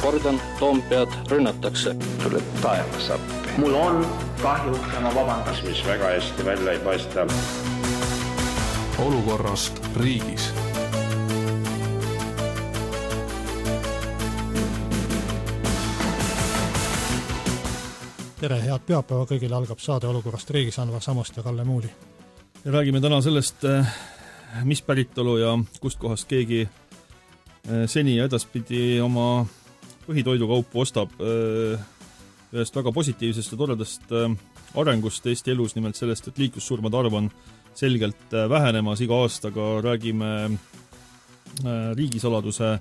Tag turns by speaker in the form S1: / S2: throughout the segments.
S1: kordan, Toompead rünnatakse.
S2: Tuleb taevas appi.
S3: Mul on kahju ja ma vabandan.
S4: Mis väga hästi välja ei paista.
S5: Olukorrast riigis.
S6: Tere, head pühapäeva kõigile, algab saade Olukorrast riigis, Anvar Samost ja Kalle Muuli.
S7: Ja räägime täna sellest, mis päritolu ja kust kohast keegi seni ja edaspidi oma põhitoidukaupu ostab ühest väga positiivsest ja toredast arengust Eesti elus, nimelt sellest, et liiklussurmade arv on selgelt vähenemas iga aastaga, räägime riigisaladuse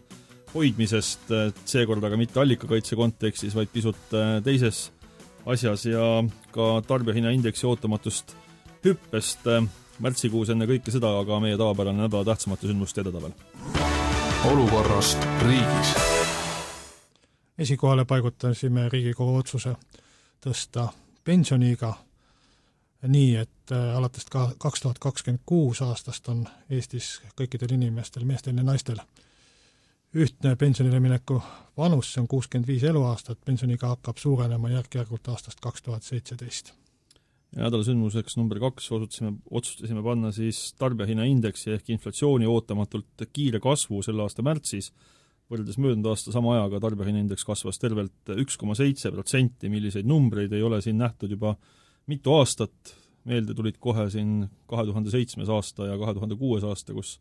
S7: hoidmisest, seekord aga mitte allikakaitse kontekstis, vaid pisut teises asjas ja ka tarbijahinnaindeksi ootamatust hüppest märtsikuus enne kõike seda, aga meie tavapärane nädala tähtsamate sündmuste edetavel.
S5: Olukorrast riigis.
S6: Esikohale paigutasime Riigikogu otsuse tõsta pensioniiga nii, et alates 2026 aastast on Eestis kõikidel inimestel, meestel ja naistel ühtne pensionile mineku vanus, see on 65 eluaastat, pensioniga hakkab suurenema järk-järgult aastast 2017.
S7: Ja nädala sündmuseks number 2 otsustasime panna siis tarbijahinnaindeksi ehk inflatsiooni ootamatult kiire kasvu selle aasta märtsis. Võrreldes möödunud aasta sama ajaga tarbijahinnaindeks kasvas tervelt 1,7%, milliseid numbreid ei ole siin nähtud juba mitu aastat. Meelde tulid kohe siin 2007. aasta ja 2006. aasta, kus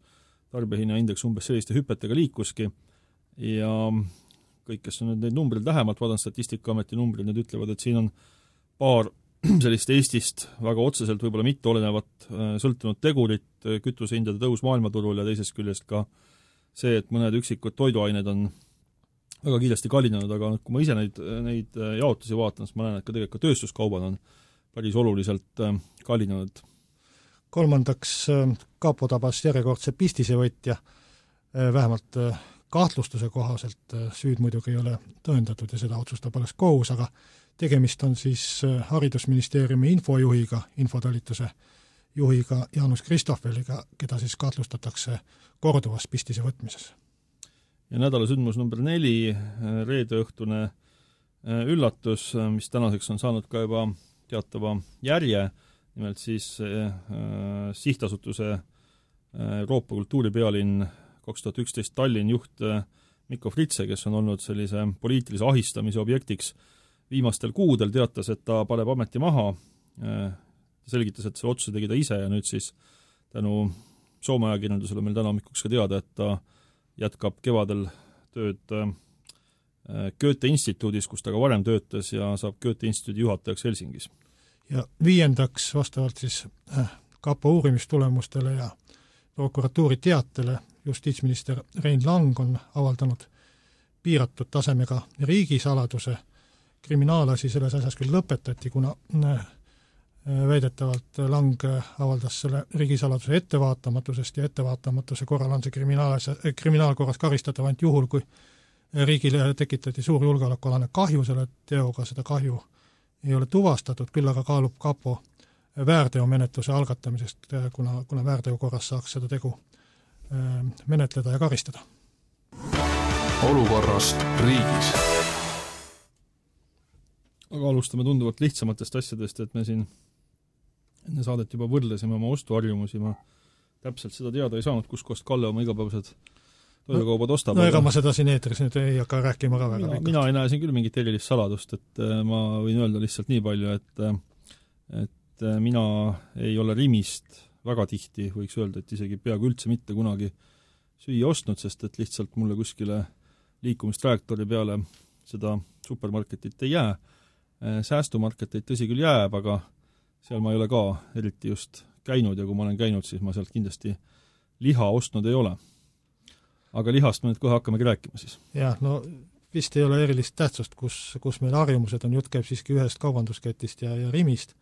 S7: tarbijahinnaindeks umbes selliste hüpetega liikuski ja kõik, kes on nüüd neid numbreid lähemalt vaadanud, Statistikaameti numbrid, need ütlevad, et siin on paar sellist Eestist väga otseselt võib-olla mitte olenevat sõltunud tegurit, kütusehindade tõus maailmaturul ja teisest küljest ka see, et mõned üksikud toiduained on väga kiiresti kallinenud, aga kui ma ise neid jaotusi vaatan, siis ma näen, et ka tegelikult tööstuskaubad on päris oluliselt kallinenud.
S6: Kolmandaks, Kapo tabas järjekordse pistisevõtja, vähemalt kahtlustuse kohaselt, süüd muidugi ei ole tõendatud ja seda otsustab alles kohus, aga tegemist on siis Haridusministeeriumi infojuhiga, infotalituse juhiga Jaanus Kristoffeliga, keda siis kahtlustatakse korduvas pistise võtmises.
S7: Ja nädala sündmus number 4, reedeõhtune üllatus, mis tänaseks on saanud ka juba teatava järje, nimelt siis sihtasutuse Euroopa kultuuripealinn 2011 Tallinn juht Mikko Fritse, kes on olnud sellise poliitilise ahistamise objektiks viimastel kuudel, teatas, et ta paneb ameti maha, selgitas, et see otsuse tegi ta ise ja nüüd siis tänu Soome ajakirjandusele meil täna hommikuks ka teada, et ta jätkab kevadel tööd Goethe instituudis, kus ta ka varem töötas ja saab Goethe instituudi juhatajaks Helsingis.
S6: Ja viiendaks, vastavalt siis Kapo uurimistulemustele ja prokuratuuri teatele, justiitsminister Rein Lang on avaldanud piiratud tasemega riigisaladuse. Kriminaalasi selles asjas küll lõpetati, kuna väidetavalt Lang avaldas selle riigisaladuse ettevaatamatusest ja ettevaatamatuse korral on see kriminaalkorras karistatav ainult juhul, kui riigile tekitati suur julgeolekualane kahju selle teoga, seda kahju ei ole tuvastatud, küll aga kaalub Kapo väärteomenetluse algatamisest, kuna väärteo korras saaks seda tegu menetleda ja karistada.
S5: Olukorrast riigis.
S7: Aga alustame tunduvalt lihtsamatest asjadest, et me siin enne saadet juba võrdlesime oma ostuharjumusi, ma täpselt seda teada ei saanud, kus kost Kalle oma igapäevased toidukaubad ostab.
S6: No ega ma seda siin eetris nüüd ei hakka rääkima ka väga pikalt.
S7: Mina ei näe siin küll mingit erilist saladust, et ma võin öelda lihtsalt nii palju, et mina ei ole Rimist väga tihti, võiks öelda, et isegi peaaegu üldse mitte kunagi süüa ostnud, sest et lihtsalt mulle kuskile liikumistrajektoori peale seda supermarketit ei jää. Säästumarketeid tõsi küll jääb, aga seal ma ei ole ka eriti just käinud ja kui ma olen käinud, siis ma sealt kindlasti liha ostnud ei ole. Aga lihast me nüüd kohe hakkamegi rääkima siis.
S6: Jah, no vist ei ole erilist tähtsust, kus meil harjumused on, jutt käib siiski ühest kaubandusketist ja Rimist.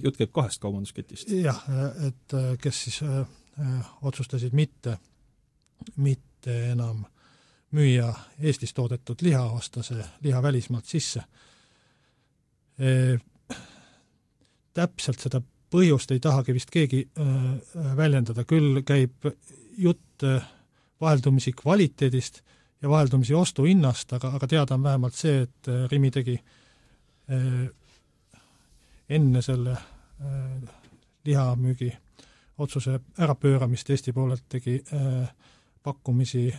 S7: Jutt käib 2 kaubandusketist.
S6: Jah, et kes siis otsustasid mitte enam müüa Eestis toodetud liha, osta see liha välismaalt sisse. Täpselt seda põhjust ei tahagi vist keegi väljendada, küll käib jutt vaheldumisi kvaliteedist ja vaheldumisi ostuhinnast, aga teada on vähemalt see, et Rimi tegi enne selle lihamüügi otsuse ärapööramist Eesti poolelt tegi pakkumisi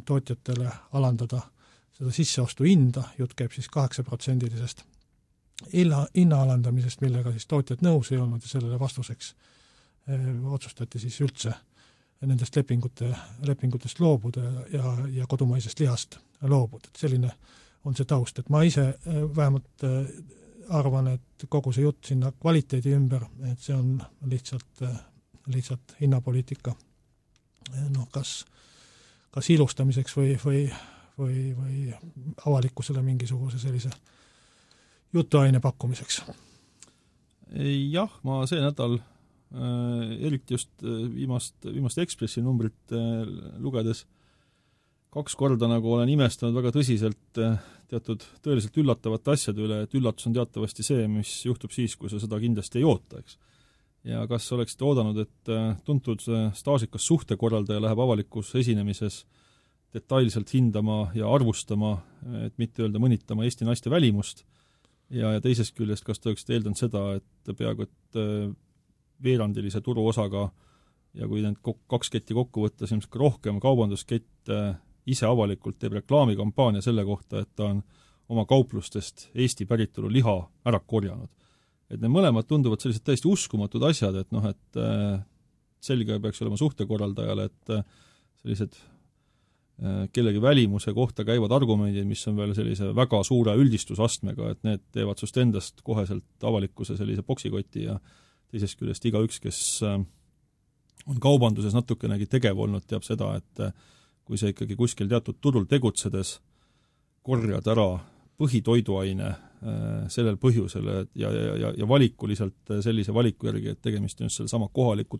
S6: tootjatele alandada seda sisseostu hinda, jutt käib siis 8% hinna alandamisest, millega siis tootjad nõus ei olnud ja sellele vastuseks otsustati siis üldse nendest lepingutest loobuda ja kodumaisest lihast loobuda. Et selline on see taust, et ma ise vähemalt arvan, et kogu see jutt sinna kvaliteedi ümber, et see on lihtsalt hinnapoliitika kas ilustamiseks või avalikkusele mingisuguse sellise jutuaine pakkumiseks.
S7: Jah, ma see nädal eriti just viimast Ekspressi numbrit lugedes 2 korda nagu olen imestanud väga tõsiselt teatud tõeliselt üllatavate asjade üle, et üllatus on teatavasti see, mis juhtub siis, kui sa seda kindlasti ei oota, eks. Ja kas oleksite oodanud, et tuntud staažikas suhtekorraldaja läheb avalikus esinemises detailselt hindama ja arvustama, et mitte öelda mõnitama Eesti naiste välimust, ja teisest küljest, kas te oleksite eeldanud seda, et peaaegu et veerandilise turuosaga ja kui need 2 ketti kokku võtta, siis rohkem kaubanduskett ise avalikult teeb reklaamikampaania selle kohta, et ta on oma kauplustest Eesti päritolu liha ära korjanud. Et need mõlemad tunduvad sellised täiesti uskumatud asjad, et selge peaks olema suhtekorraldajale, et sellised kellegi välimuse kohta käivad argumendid, mis on veel sellise väga suure üldistusastmega, et need teevad sust endast koheselt avalikkuse sellise boksikoti ja teisest küljest igaüks, kes on kaubanduses natukenegi tegev olnud, teab seda, et kui sa ikkagi kuskil teatud turul tegutsedes korjad ära põhitoiduaine sellel põhjusel ja valikuliselt sellise valiku järgi, et tegemist on just selle sama kohalikul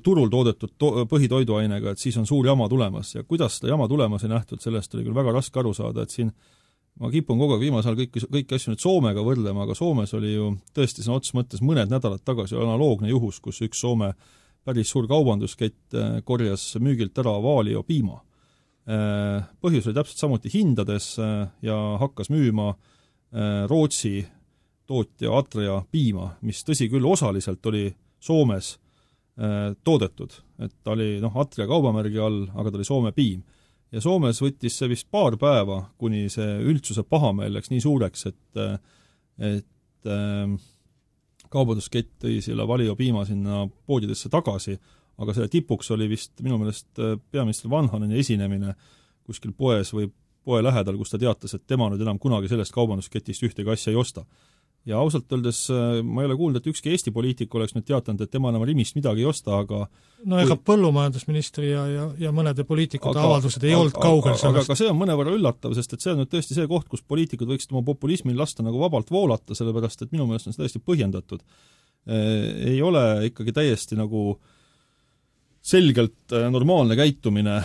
S7: turul toodetud põhitoiduainega, et siis on suur jama tulemas. Ja kuidas seda jama tulemas ei nähtud, sellest oli küll väga raske aru saada, et siin ma kipun kogu aeg viimasel kõiki asju nüüd Soomega võrdlema, aga Soomes oli ju tõesti sõna otseses mõttes mõned nädalad tagasi analoogne juhus, kus üks Soome päris suur kaubanduskett korjas müügilt ära Valio piima. Põhjus oli täpselt samuti hindades ja hakkas müüma Rootsi tootja Atria piima, mis tõsi küll osaliselt oli Soomes toodetud, et ta oli Atria kaubamärgi all, aga ta oli Soome piim. Ja Soomes võttis see vist paar päeva, kuni see üldsuse pahameel läks nii suureks, et kaubanduskett tõi selle Valio piima sinna poodidesse tagasi, aga selle tipuks oli vist minu meelest peaminister Vanhaneni esinemine kuskil poes või poe lähedal, kus ta teatas, et tema nüüd enam kunagi sellest kaubandusketist ühtegi asja ei osta. Ja ausalt öeldes ma ei ole kuulnud, et ükski Eesti poliitik oleks nüüd teatanud, et tema enam Rimist midagi ei osta, aga
S6: ega põllumajandusministri ja mõnede poliitikute avaldused ei olnud kaugel sellest.
S7: Aga see on mõnevõrra üllatav, sest et see on nüüd tõesti see koht, kus poliitikud võiksid oma populismil lasta nagu vabalt voolata, sellepärast et minu meelest on see täiesti põhjendatud. Ei ole ikkagi täiesti nagu selgelt normaalne käitumine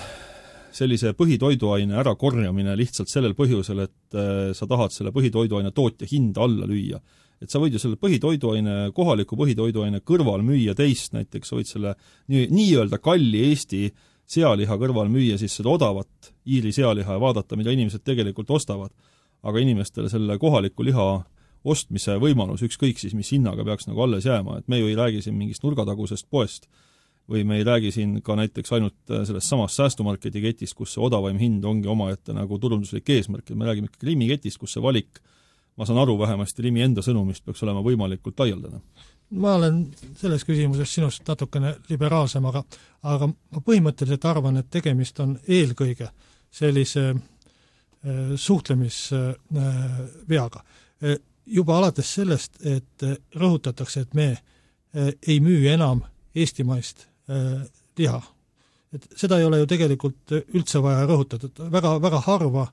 S7: sellise põhitoiduaine ära korjamine lihtsalt sellel põhjusel, et sa tahad selle põhitoiduaine tootja hinda alla lüüa. Et sa võid ju selle kohaliku põhitoiduaine kõrval müüa teist, näiteks sa võid selle nii-öelda kalli Eesti sealiha kõrval müüa siis seda odavat Iiri sealiha ja vaadata, mida inimesed tegelikult ostavad. Aga inimestele selle kohaliku liha ostmise võimalus, ükskõik siis, mis hinnaga peaks nagu alles jääma, et me ju ei räägi siin mingist nurgatagusest poest, või me ei räägi siin ka näiteks ainult sellest samast säästumarketi ketist, kus see odavaim hind ongi omaette nagu turunduslik eesmärk, et me räägime ikka Rimi ketist, kus see valik, ma saan aru vähemasti Rimi enda sõnumist, peaks olema võimalikult laialdane.
S6: Ma olen selles küsimuses sinust natukene liberaalsem, aga ma põhimõtteliselt arvan, et tegemist on eelkõige sellise suhtlemisveaga. Juba alates sellest, et rõhutatakse, et me ei müü enam eestimaist liha. Et seda ei ole ju tegelikult üldse vaja rõhutada. Väga, väga harva,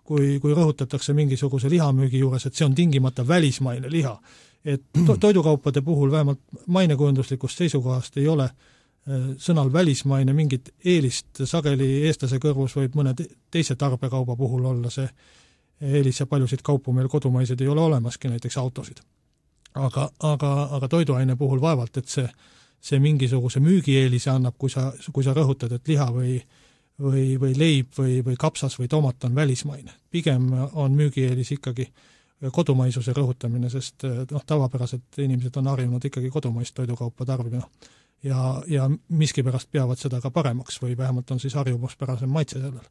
S6: kui rõhutatakse mingisuguse lihamüügi juures, et see on tingimata välismaine liha. Et toidukaupade puhul vähemalt mainekujunduslikust seisukohast ei ole sõnal välismaine mingit eelist, sageli eestlase kõrvus võib mõne teise tarbekauba puhul olla see eelis ja paljusid kaupu meil kodumaised ei ole olemaski, näiteks autosid. Aga toiduaine puhul vaevalt, et see mingisuguse müügieelise annab, kui sa rõhutad, et liha või leib või kapsas või tomat on välismaine. Pigem on müügieelis ikkagi kodumaisuse rõhutamine, sest tavapäraselt inimesed on harjunud ikkagi kodumaist toidukaupa tarbima ja miskipärast peavad seda ka paremaks või vähemalt on siis harjumuspärasem maitse sellel.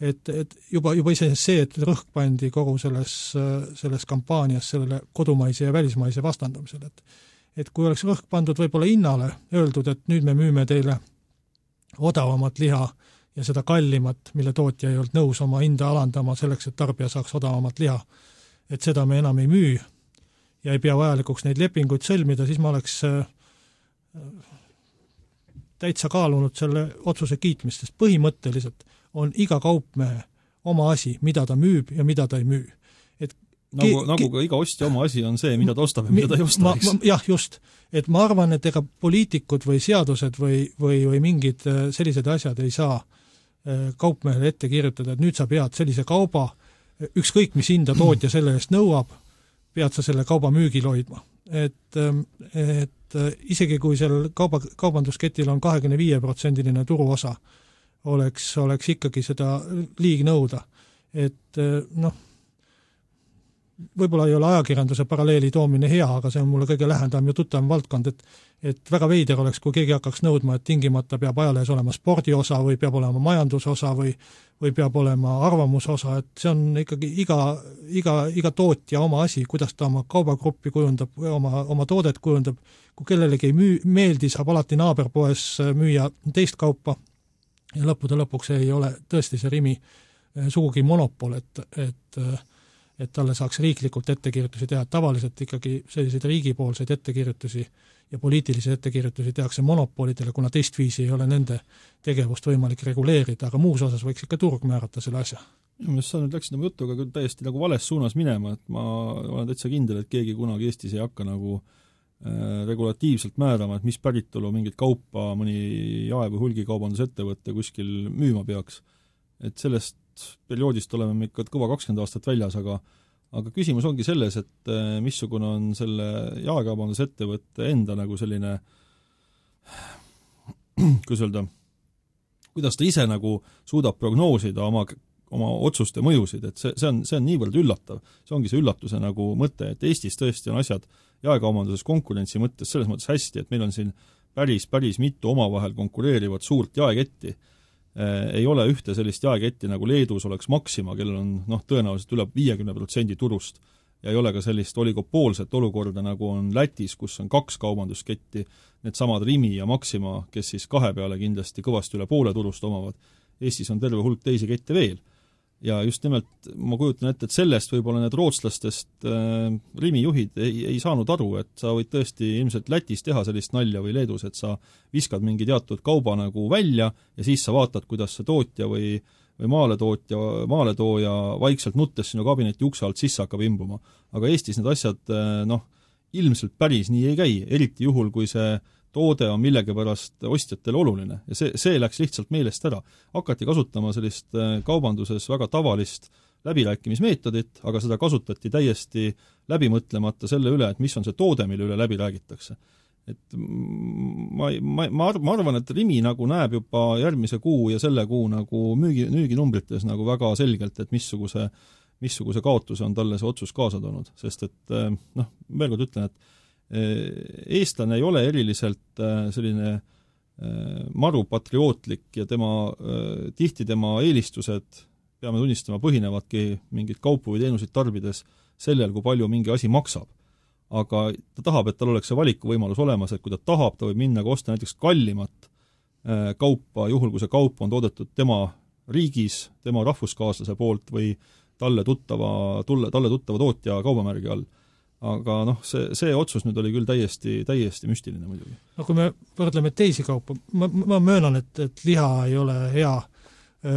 S6: Et juba iseenesest see, et rõhk pandi kogu selles kampaanias sellele kodumaise ja välismaise vastandamisele, et kui oleks rõhk pandud võib-olla hinnale, öeldud, et nüüd me müüme teile odavamat liha ja seda kallimat, mille tootja ei olnud nõus oma hinda alandama selleks, et tarbija saaks odavamat liha, et seda me enam ei müü ja ei pea vajalikuks neid lepinguid sõlmida, siis ma oleks täitsa kaalunud selle otsuse kiitmist, sest põhimõtteliselt on iga kaupmehe oma asi, mida ta müüb ja mida ta ei müü.
S7: Nagu ka iga ostja oma asi on see, mida ta ostab ja mida ta ei osta.
S6: Jah, just. Et ma arvan, et ega poliitikud või seadused või mingid sellised asjad ei saa kaupmehele ette kirjutada, et nüüd sa pead sellise kauba, ükskõik mis hinda tootja selle eest nõuab, pead sa selle kauba müügil hoidma. Et isegi kui seal kaubandusketil on 25% turuosa, oleks ikkagi seda liig nõuda. Et võib-olla ei ole ajakirjanduse paralleeli toomine hea, aga see on mulle kõige lähendam ja tuttavam valdkond, et väga veider oleks, kui keegi hakkaks nõudma, et tingimata peab ajalehes olema spordiosa või peab olema majandusosa või peab olema arvamusosa, et see on ikkagi iga tootja oma asi, kuidas ta oma kaubagruppi kujundab, oma toodet kujundab, kui kellelegi ei meeldi, saab alati naaberpoes müüa teist kaupa ja lõppude lõpuks ei ole tõesti see Rimi sugugi monopol, et talle saaks riiklikult ettekirjutusi teha. Tavaliselt ikkagi selliseid riigipoolseid ettekirjutusi ja poliitilisi ettekirjutusi tehakse monopolidele, kuna teistviisi ei ole nende tegevust võimalik reguleerida, aga muus osas võiks ikka turg määrata selle asja.
S7: Sa nüüd läksid oma jutuga küll täiesti nagu vales suunas minema, et ma olen täitsa kindel, et keegi kunagi Eestis ei hakka nagu regulatiivselt määrama, et mis päritolu mingit kaupa mõni jae- või hulgikaubandusettevõtte kuskil müüma peaks. Et sellest perioodist oleme me ikka kõva 20 aastat väljas, aga küsimus ongi selles, et missugune on selle jaekaubandusettevõtte enda nagu selline, kuidas ta ise nagu suudab prognoosida oma otsuste mõjusid, et see on niivõrd üllatav. See ongi see üllatuse nagu mõte, et Eestis tõesti on asjad jaekaubanduses konkurentsi mõttes selles mõttes hästi, et meil on siin päris mitu omavahel konkureerivat suurt jaeketti. Ei ole ühte sellist jaeketti nagu Leedus oleks Maxima, kellel on tõenäoliselt üle 50% turust ja ei ole ka sellist oligopoolset olukorda, nagu on Lätis, kus on 2 kaubandusketti, need samad Rimi ja Maxima, kes siis 2 peale kindlasti kõvasti üle poole turust omavad. Eestis on terve hulk teisi kette veel. Ja just nimelt ma kujutan ette, et sellest võib-olla need rootslastest Rimi juhid ei saanud aru, et sa võid tõesti ilmselt Lätis teha sellist nalja või Leedus, et sa viskad mingi teatud kauba nagu välja ja siis sa vaatad, kuidas see tootja või maaletooja vaikselt nuttes sinu kabineti ukse alt sisse hakkab imbuma. Aga Eestis need asjad ilmselt päris nii ei käi, eriti juhul, kui see toode on millegipärast ostjatele oluline ja see läks lihtsalt meelest ära. Hakati kasutama sellist kaubanduses väga tavalist läbirääkimismeetodit, aga seda kasutati täiesti läbimõtlemata selle üle, et mis on see toode, mille üle läbi räägitakse. Et ma arvan, et Rimi nagu näeb juba järgmise kuu ja selle kuu nagu müüginumbrites nagu väga selgelt, et missuguse kaotuse on talle see otsus kaasa toonud, sest et veel kord ütlen, et eestlane ei ole eriliselt selline maru patriootlik ja tihti tema eelistused, peame tunnistama, põhinevadki mingit kaupu või teenuseid tarbides sellel, kui palju mingi asi maksab. Aga ta tahab, et tal oleks see valikuvõimalus olemas, et kui ta tahab, ta võib minna ka osta näiteks kallimat kaupa, juhul kui see kaup on toodetud tema riigis, tema rahvuskaaslase poolt või talle tuttava tootja kaubamärgi all. Aga see otsus nüüd oli küll täiesti müstiline muidugi.
S6: Kui me võrdleme teisi kaupa, ma möönan, et liha ei ole hea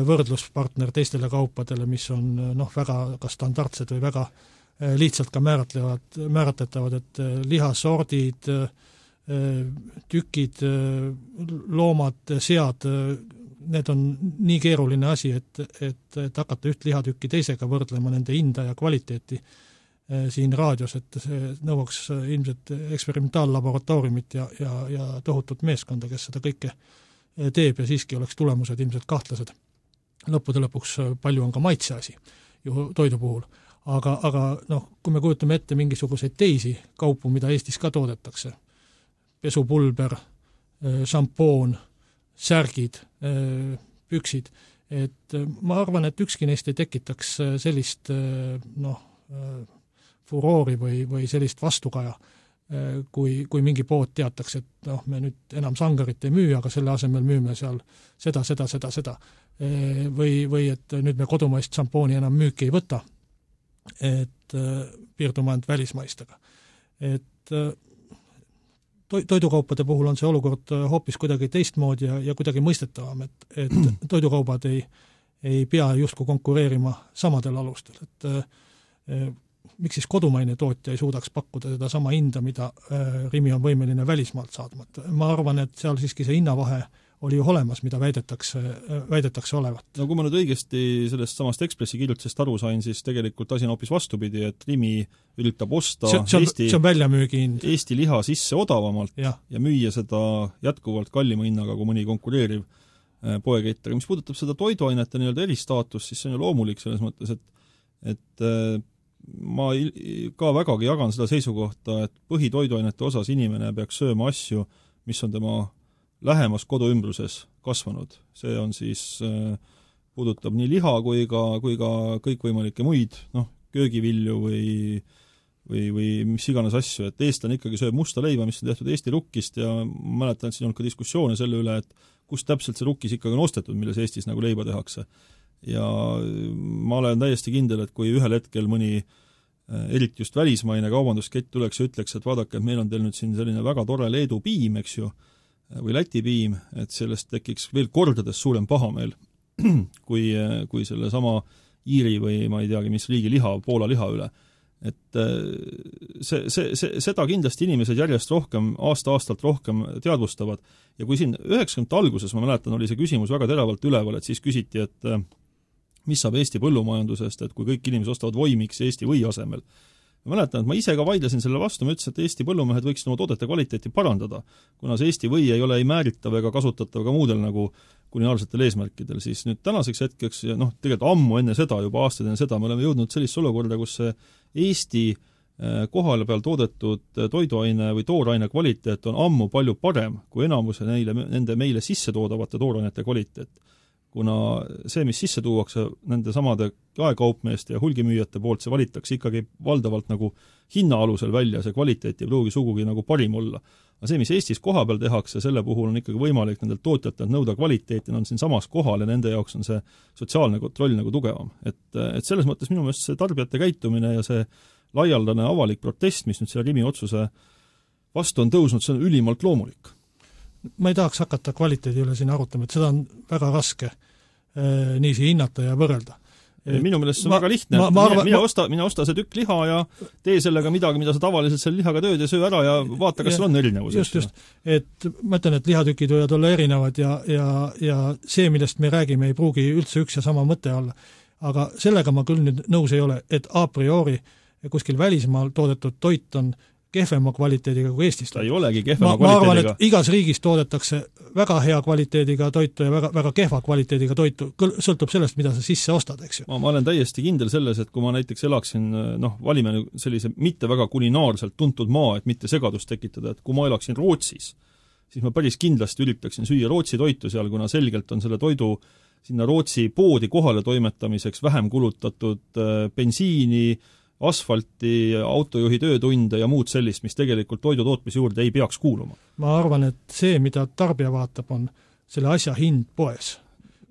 S6: võrdluspartner teistele kaupadele, mis on väga ka standardsed või väga lihtsalt ka määratletavad, et lihasordid, tükid, loomad, sead, need on nii keeruline asi, et hakata üht lihatükki teisega võrdlema nende hinda ja kvaliteeti siin raadios, et see nõuaks ilmselt eksperimentallaboratooriumit ja tohutut meeskonda, kes seda kõike teeb ja siiski oleks tulemused ilmselt kahtlased. lõppude lõpuks palju on ka maitse asi ju toidu puhul. Aga noh, kui me kujutame ette mingisuguseid teisi kaupu, mida Eestis ka toodetakse, pesupulber, šampoon, särgid, püksid, et ma arvan, et ükski neist ei tekitaks sellist furoori või sellist vastukaja, kui mingi pood teataks, et me nüüd enam sangarit ei müü, aga selle asemel müüme seal seda. Või et nüüd me kodumaist šampooni enam müüki ei võta, et piirdume ainult välismaistega. Et toidukaupade puhul on see olukord hoopis kuidagi teistmoodi ja kuidagi mõistetavam, et toidukaubad ei pea justkui konkureerima samadel alustel, et miks siis kodumaine tootja ei suudaks pakkuda seda sama hinda, mida Rimi on võimeline välismaalt saadma. Ma arvan, et seal siiski see hinnavahe oli ju olemas, mida väidetakse olevat.
S7: No kui ma nüüd õigesti sellest samast Ekspressi kirjutisest aru sain, siis tegelikult asi on hoopis vastupidi, et Rimi üritab osta
S6: see on väljamüügi hind.
S7: Eesti liha sisse odavamalt ja müüa seda jätkuvalt kallima hinnaga kui mõni konkureeriv poeketter. Mis puudutab seda toiduainete nii-öelda eristaatust, siis see on ju loomulik selles mõttes, et ma ka vägagi jagan seda seisukohta, et põhitoiduainete osas inimene peaks sööma asju, mis on tema lähemas koduümbruses kasvanud. See on siis, puudutab nii liha kui ka kõikvõimalikke muid, köögivilju või mis iganes asju, et eestlane ikkagi sööb musta leiba, mis on tehtud Eesti rukkist ja ma mäletan, et siin on ka diskussioone selle üle, et kus täpselt see rukkis ikkagi on ostetud, milles Eestis nagu leiba tehakse. Ja ma olen täiesti kindel, et kui ühel hetkel mõni eriti just välismaine kaubanduskett tuleks ja ütleks, et vaadake, et meil on teil nüüd siin selline väga tore Leedu piim, eks ju, või Läti piim, et sellest tekiks veel kordades suurem pahameel kui selle sama Iiri või ma ei teagi, mis riigi liha, Poola liha üle. Et seda kindlasti inimesed järjest rohkem, aasta-aastalt rohkem teadvustavad. Ja kui siin 90 alguses, ma mäletan, oli see küsimus väga teravalt üleval, et siis küsiti, et mis saab Eesti põllumajandusest, et kui kõik inimesed ostavad voimiks Eesti või asemel. Ma mäletan, et ma ise ka vaidlesin selle vastu, ma ütlesin, et Eesti põllumehed võiksid oma toodete kvaliteeti parandada, kuna see Eesti või ei ole ei määritav ega kasutatav ka muudel nagu kulinaarsetel eesmärkidel, siis nüüd tänaseks hetkeks ja tegelikult ammu enne seda, juba aastaid enne seda, me oleme jõudnud sellist olukorda, kus see Eesti kohale peal toodetud toiduaine või tooraine kvaliteet on ammu palju parem kui enamuse nende meile sisse toodavate toorainete kvaliteet. Kuna see, mis sisse tuuakse nende samade jaekaupmeeste ja hulgimüüjate poolt, see valitakse ikkagi valdavalt nagu hinna alusel välja, see kvaliteet ei pruugi sugugi nagu parim olla. Aga see, mis Eestis koha peal tehakse, selle puhul on ikkagi võimalik nendelt tootjatelt nõuda kvaliteeti, on siin samas kohal ja nende jaoks on see sotsiaalne kontroll nagu tugevam. Et selles mõttes minu meelest see tarbijate käitumine ja see laialdane avalik protest, mis nüüd selle Rimi otsuse vastu on tõusnud, see on ülimalt loomulik.
S6: Ma ei tahaks hakata kvaliteedi üle siin arutama, et seda on väga raske niisi hinnata ja võrrelda.
S7: Minu meelest see on väga lihtne, mine osta see tükk liha ja tee sellega midagi, mida sa tavaliselt selle lihaga tööd ja söö ära ja vaata, kas seal on erinevus.
S6: Just. Et ma ütlen, et lihatükid võivad olla erinevad ja see, millest me räägime, ei pruugi üldse üks ja sama mõte olla. Aga sellega ma küll nüüd nõus ei ole, et a priori kuskil välismaal toodetud toit on kehvema kvaliteediga kui Eestis.
S7: Ta ei olegi kehvema kvaliteediga.
S6: Ma arvan, et igas riigis toodetakse väga hea kvaliteediga toitu ja väga kehva kvaliteediga toitu, sõltub sellest, mida sa sisse ostad, eks ju.
S7: Ma olen täiesti kindel selles, et kui ma näiteks elaksin, valime sellise mitte väga kulinaarselt tuntud maa, et mitte segadust tekitada, et kui ma elaksin Rootsis, siis ma päris kindlasti üritaksin süüa Rootsi toitu seal, kuna selgelt on selle toidu sinna Rootsi poodi kohale toimetamiseks vähem kulutatud bensiini, asfalti, autojuhi töötunde ja muud sellist, mis tegelikult toidutootmise juurde ei peaks kuuluma.
S6: Ma arvan, et see, mida tarbija vaatab, on selle asja hind poes.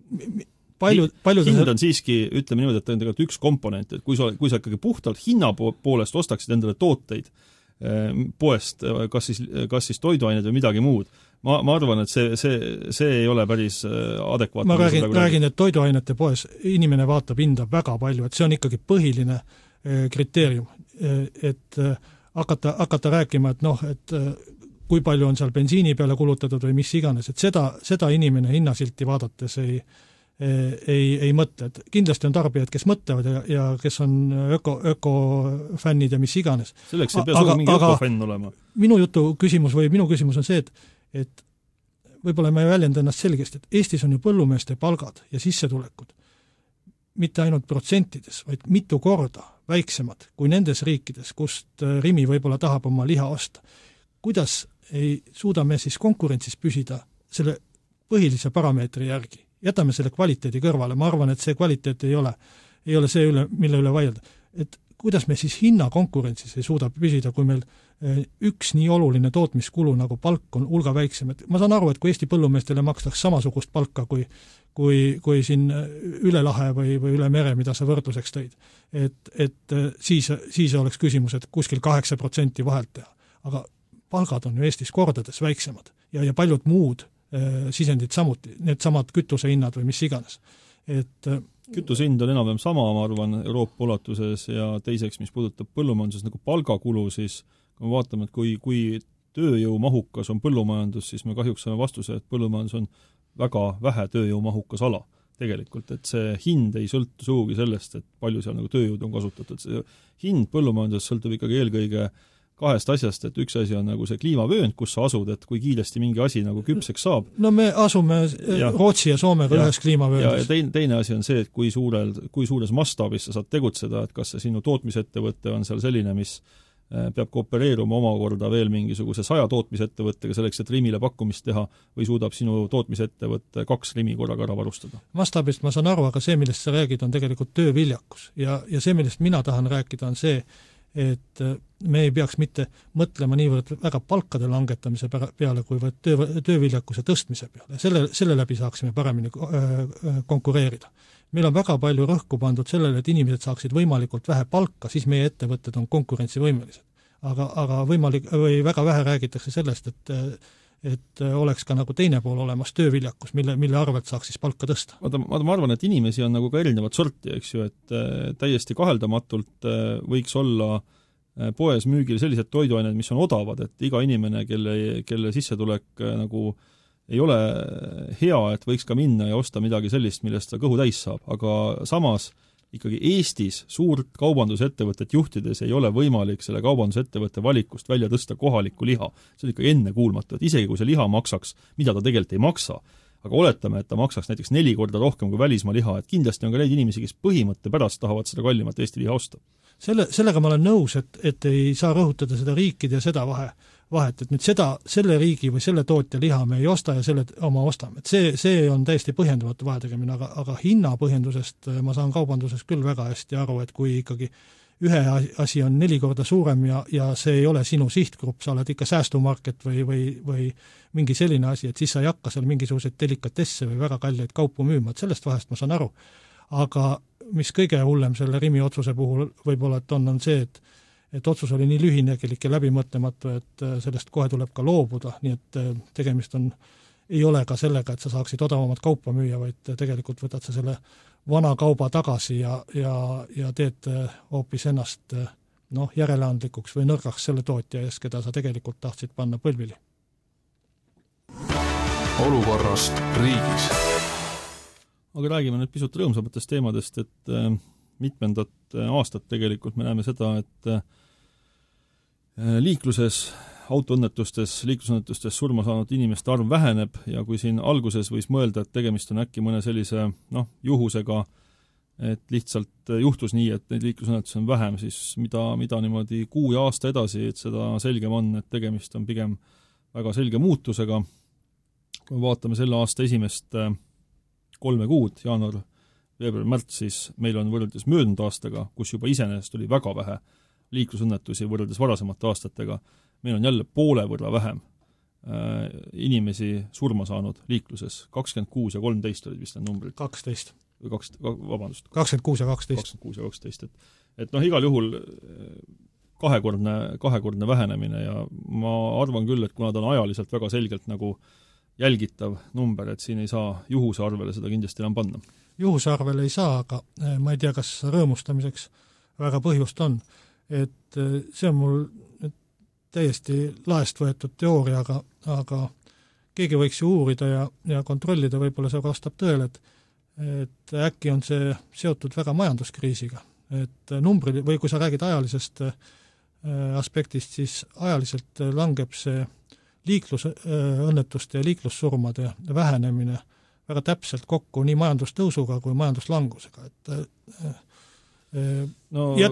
S7: Hind on siiski, ütleme niimoodi, et on tegelikult üks komponent, et kui sa ikkagi puhtalt hinna poolest ostaksid endale tooteid poest, kas siis toiduained või midagi muud, ma arvan, et see ei ole päris adekvaatne.
S6: Ma räägin, et toiduainete poes inimene vaatab hinda väga palju, et see on ikkagi põhiline kriteerium, et hakata rääkima, et kui palju on seal bensiini peale kulutatud või mis iganes, et seda inimene hinnasilti vaadates ei mõtle, et kindlasti on tarbijad, kes mõtlevad ja kes on ökofännid ja mis iganes.
S7: Selleks ei pea sugu mingi ökofänn olema.
S6: Minu küsimus on see, et võib-olla ma ei väljenda ennast selgesti, et Eestis on ju põllumeeste palgad ja sissetulekud mitte ainult protsentides, vaid mitu korda väiksemad kui nendes riikides, kust Rimi võib-olla tahab oma liha osta. Kuidas ei suuda me siis konkurentsis püsida selle põhilise parameetri järgi? Jätame selle kvaliteedi kõrvale, ma arvan, et see kvaliteet ei ole see, mille üle vaielda. Et kuidas me siis hinna konkurentsis ei suuda püsida, kui meil üks nii oluline tootmiskulu nagu palk on hulga väiksem. Et ma saan aru, et kui Eesti põllumeestele makstaks samasugust palka kui siin üle lahe või üle mere, mida sa võrdluseks tõid, et siis oleks küsimus, et kuskil 8% vahelt teha. Aga palgad on ju Eestis kordades väiksemad ja paljud muud sisendid samuti, need samad kütusehinnad või mis iganes.
S7: Kütusehind on enam-vähem sama, ma arvan, Euroopa ulatuses ja teiseks, mis puudutab põllumajanduses nagu palgakulu, siis kui me vaatame, et kui tööjõumahukas on põllumajandus, siis me kahjuks saame vastuse, et põllumajandus on väga vähe tööjõumahukas ala tegelikult, et see hind ei sõltu suugi sellest, et palju seal nagu tööjõud on kasutatud. See hind põllumajanduses sõltub ikkagi eelkõige kahest asjast, et üks asi on nagu see kliimavöönd, kus sa asud, et kui kiiresti mingi asi nagu küpseks saab.
S6: No me asume Rootsi ja Soomega ühes kliimavööndis.
S7: Ja teine asi on see, et kui suures mastaabis sa saad tegutseda, et kas see sinu tootmisettevõte on seal selline, mis peab koopereeruma omakorda veel mingisuguse 100 tootmisettevõttega selleks, et Rimile pakkumist teha, või suudab sinu tootmisettevõtte 2 Rimi korraga ära varustada?
S6: Mastaabist ma saan aru, aga see, millest sa räägid, on tegelikult tööviljakus. Ja see, millest mina tahan rääkida, on see, et me ei peaks mitte mõtlema niivõrd väga palkade langetamise peale, kui tööviljakuse tõstmise peale. Selle läbi saaksime paremini konkureerida. Meil on väga palju rõhku pandud sellele, et inimesed saaksid võimalikult vähe palka, siis meie ettevõtted on konkurentsivõimelised. Aga väga vähe räägitakse sellest, et oleks ka nagu teine pool olemas tööviljakus, mille arvelt saaks siis palka tõsta.
S7: Ma arvan, et inimesi on nagu ka erinevat sorti, eks ju, et täiesti kaheldamatult võiks olla poes müügil sellised toiduained, mis on odavad, et iga inimene, kelle sissetulek nagu ei ole hea, et võiks ka minna ja osta midagi sellist, millest ta kõhu täis saab, aga samas ikkagi Eestis suurt kaubandusettevõtet juhtides ei ole võimalik selle kaubandusettevõtte valikust välja tõsta kohalikku liha. See on ikkagi ennekuulmatu, et isegi kui see liha maksaks, mida ta tegelikult ei maksa, aga oletame, et ta maksaks näiteks 4 korda rohkem kui välismaa liha, et kindlasti on ka neid inimesi, kes põhimõtte pärast tahavad seda kallimat Eesti liha osta.
S6: Sellega ma olen nõus, et ei saa rõhutada seda riikide ja seda vahet, et nüüd selle riigi või selle tootja liha me ei osta ja selle oma ostame. Et see on täiesti põhjendamatu vahetegemine, aga hinnapõhjendusest ma saan kaubanduses küll väga hästi aru, et kui ikkagi ühe asi on 4 korda suurem ja see ei ole sinu sihtgrupp, sa oled ikka säästumarket või mingi selline asi, et siis sa ei hakka seal mingisuguseid delikatesse või väga kalleid kaupu müüma, et sellest vahest ma saan aru. Aga mis kõige hullem selle Rimi otsuse puhul võib-olla, et on see, et otsus oli nii lühinägelik ja läbimõtlematu, et sellest kohe tuleb ka loobuda, nii et tegemist ei ole ka sellega, et sa saaksid odavamat kaupa müüa, vaid tegelikult võtad sa selle vana kauba tagasi ja teed hoopis ennast järeleandlikuks või nõrgaks selle tootja ees, keda sa tegelikult tahtsid panna põlvili.
S5: Olukorrast riigis.
S7: Aga räägime nüüd pisut rõõmsamatest teemadest, et mitmendat aastat tegelikult me näeme seda, et liiklusõnnetustes surma saanud inimeste arv väheneb ja kui siin alguses võis mõelda, et tegemist on äkki mõne sellise juhusega, et lihtsalt juhtus nii, et neid liiklusõnnetusi on vähem, siis mida niimoodi kuu ja aasta edasi, et seda selgem on, et tegemist on pigem väga selge muutusega. Kui vaatame selle aasta esimest 3 kuud, jaanuar, veebruar, märts, siis meil on võrreldes möödunud aastaga, kus juba iseenesest oli väga vähe liiklusõnnetusi võrreldes varasemate aastatega, meil on jälle poole võrra vähem inimesi surma saanud liikluses. 26 ja 13 olid vist need numbrid.
S6: 12.
S7: Vabandust.
S6: 26 ja 12.
S7: 26 ja 12. Et igal juhul kahekordne vähenemine ja ma arvan küll, et kuna ta on ajaliselt väga selgelt nagu jälgitav number, et siin ei saa juhuse arvele seda kindlasti enam panna.
S6: Juhuse arvele ei saa, aga ma ei tea, kas rõõmustamiseks väga põhjust on. Et see on mul täiesti laest võetud teooria, aga keegi võiks ju uurida ja kontrollida, võib-olla see vastab tõele, et äkki on see seotud väga majanduskriisiga. Et numbrid, või kui sa räägid ajalisest aspektist, siis ajaliselt langeb see liiklusõnnetuste ja liiklussurmade vähenemine väga täpselt kokku nii majandustõusuga kui majanduslangusega, et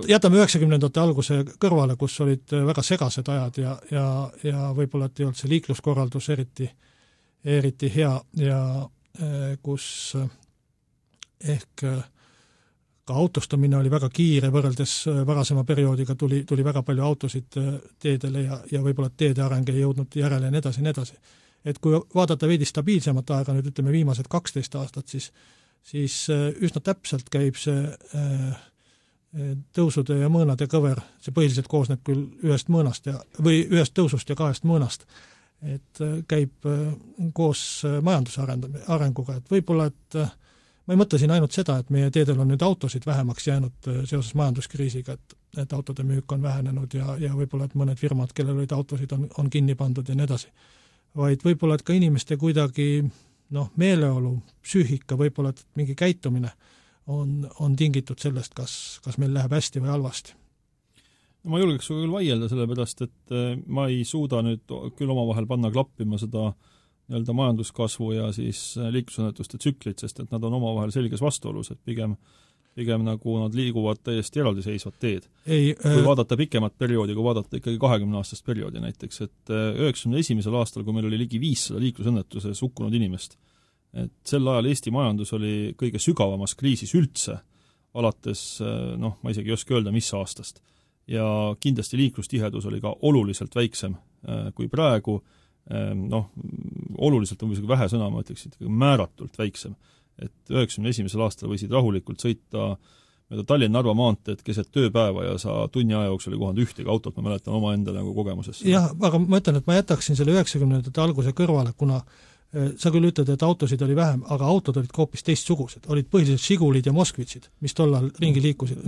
S6: jätame 90ndate alguse kõrvale, kus olid väga segased ajad ja võib-olla et ei olnud see liikluskorraldus eriti hea ja kus ehk ka autostumine oli väga kiire, võrreldes varasema perioodiga tuli väga palju autosid teedele ja võib-olla teede areng ei jõudnud järele ja nii edasi. Et kui vaadata veidi stabiilsemat aega, nüüd ütleme viimased 12 aastat, siis üsna täpselt käib see tõusude ja mõõnade kõver, see põhiliselt koosneb küll ühest mõõnast või ühest tõusust ja 2 mõõnast, et käib koos majanduse arenguga, et võib-olla, et ma ei mõtle siin ainult seda, et meie teedel on nüüd autosid vähemaks jäänud seoses majanduskriisiga, et autode müük on vähenenud ja võib-olla, et mõned firmad, kellel olid autosid, on kinni pandud ja nii edasi. Vaid võib-olla, et ka inimeste kuidagi meeleolu, psüühika, võib-olla, et mingi käitumine on tingitud sellest, kas meil läheb hästi või halvasti.
S7: Ma julgeks küll vaielda sellepärast, et ma ei suuda nüüd küll omavahel panna klappima seda nii-öelda majanduskasvu ja siis liiklusõnnetuste tsüklit, sest et nad on omavahel selges vastuolus, et pigem nagu nad liiguvad täiesti eraldiseisvad teed. Kui vaadata pikemat perioodi, kui vaadata ikkagi 20-aastast perioodi näiteks, et 91. aastal, kui meil oli ligi 500 liiklusõnnetuses hukkunud inimest, et sel ajal Eesti majandus oli kõige sügavamas kriisis üldse, alates, ma isegi ei oska öelda, mis aastast. Ja kindlasti liiklustihedus oli ka oluliselt väiksem kui praegu, oluliselt on isegi vähe sõna, ma ütleks, et määratult väiksem. Et 91. aastal võisid rahulikult sõita Tallinna-Narva maanteed keset tööpäeva ja sa tunni aja jooksul ei kohanud ühtegi autot, ma mäletan oma enda nagu kogemusesse.
S6: Jah, aga ma ütlen, et ma jätaksin selle 90ndate alguse kõrvale, kuna sa küll ütled, et autosid oli vähem, aga autod olid ka hoopis teistsugused. Olid põhiliselt Žigulid ja Moskvitsid, mis tollal ringi liikusid.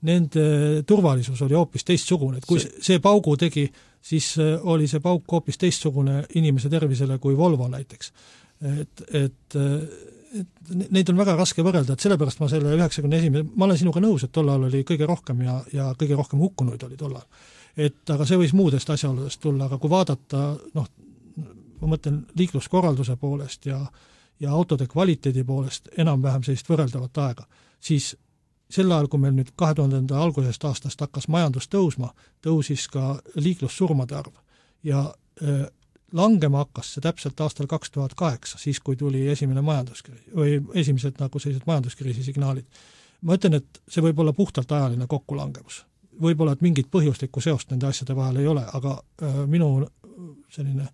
S6: Nende turvalisus oli hoopis teistsugune. Et kui see paugu tegi, siis oli see pauk hoopis teistsugune inimese tervisele kui Volvo näiteks. Et neid on väga raske võrrelda, et sellepärast ma selle 91. Ma olen sinuga nõus, et tollal oli kõige rohkem ja kõige rohkem hukkunuid oli tollal. Aga see võis muudest asjaoludest tulla, aga kui vaadata, ma mõtlen liikluskorralduse poolest ja autode kvaliteedi poolest enam-vähem sellist võrreldavat aega, siis sel ajal, kui meil nüüd 2000. algusest aastast hakkas majandus tõusma, tõusis ka liiklussurmade arv ja langema hakkas see täpselt aastal 2008, siis kui tuli esimene majanduskriis või esimesed nagu sellised majanduskriisi signaalid. Ma ütlen, et see võib olla puhtalt ajaline kokkulangevus. Võib-olla, et mingit põhjuslikku seost nende asjade vahel ei ole, aga minu selline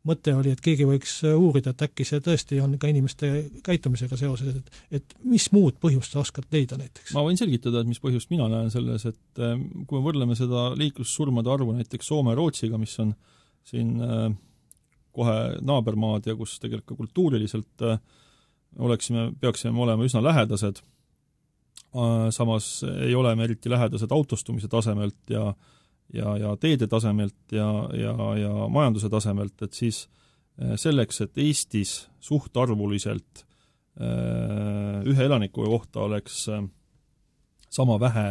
S6: mõte oli, et keegi võiks uurida, et äkki see tõesti on ka inimeste käitumisega seoses, et mis muud põhjust sa oskad leida näiteks?
S7: Ma võin selgitada, et mis põhjust mina näen selles, et kui me võrdleme seda liiklussurmade arvu näiteks Soome ja Rootsiga, mis on siin kohe naabermaad ja kus tegelikult kultuuriliselt peaksime olema üsna lähedased, samas ei ole me eriti lähedased autostumise tasemelt ja teede tasemelt ja majanduse tasemelt, et siis selleks, et Eestis suhtarvuliselt ühe elaniku kohta oleks sama vähe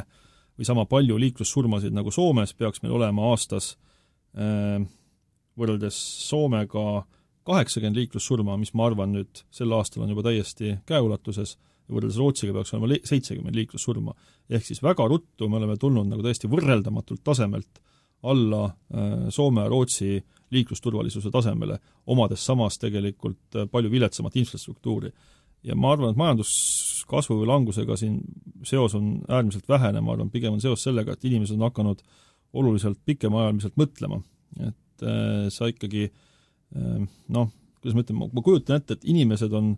S7: või sama palju liiklussurmasid nagu Soomes, peaks meil olema aastas võrreldes Soomega 80 liiklussurma, mis ma arvan nüüd sel aastal on juba täiesti käeulatuses, ja võrreldes Rootsiga peaks olema 70 liiklussurma. Ehk siis väga ruttu me oleme tulnud nagu täiesti võrreldamatult tasemelt alla Soome ja Rootsi liiklusturvalisuse tasemele, omades samas tegelikult palju viletsamat infrastruktuuri. Ja ma arvan, et majanduskasvu või langusega siin seos on äärmiselt vähene, ma arvan, pigem on seos sellega, et inimesed on hakanud oluliselt pikemaajaliselt mõtlema. Et sa ikkagi, kuidas ma ütlen, ma kujutan ette, et inimesed on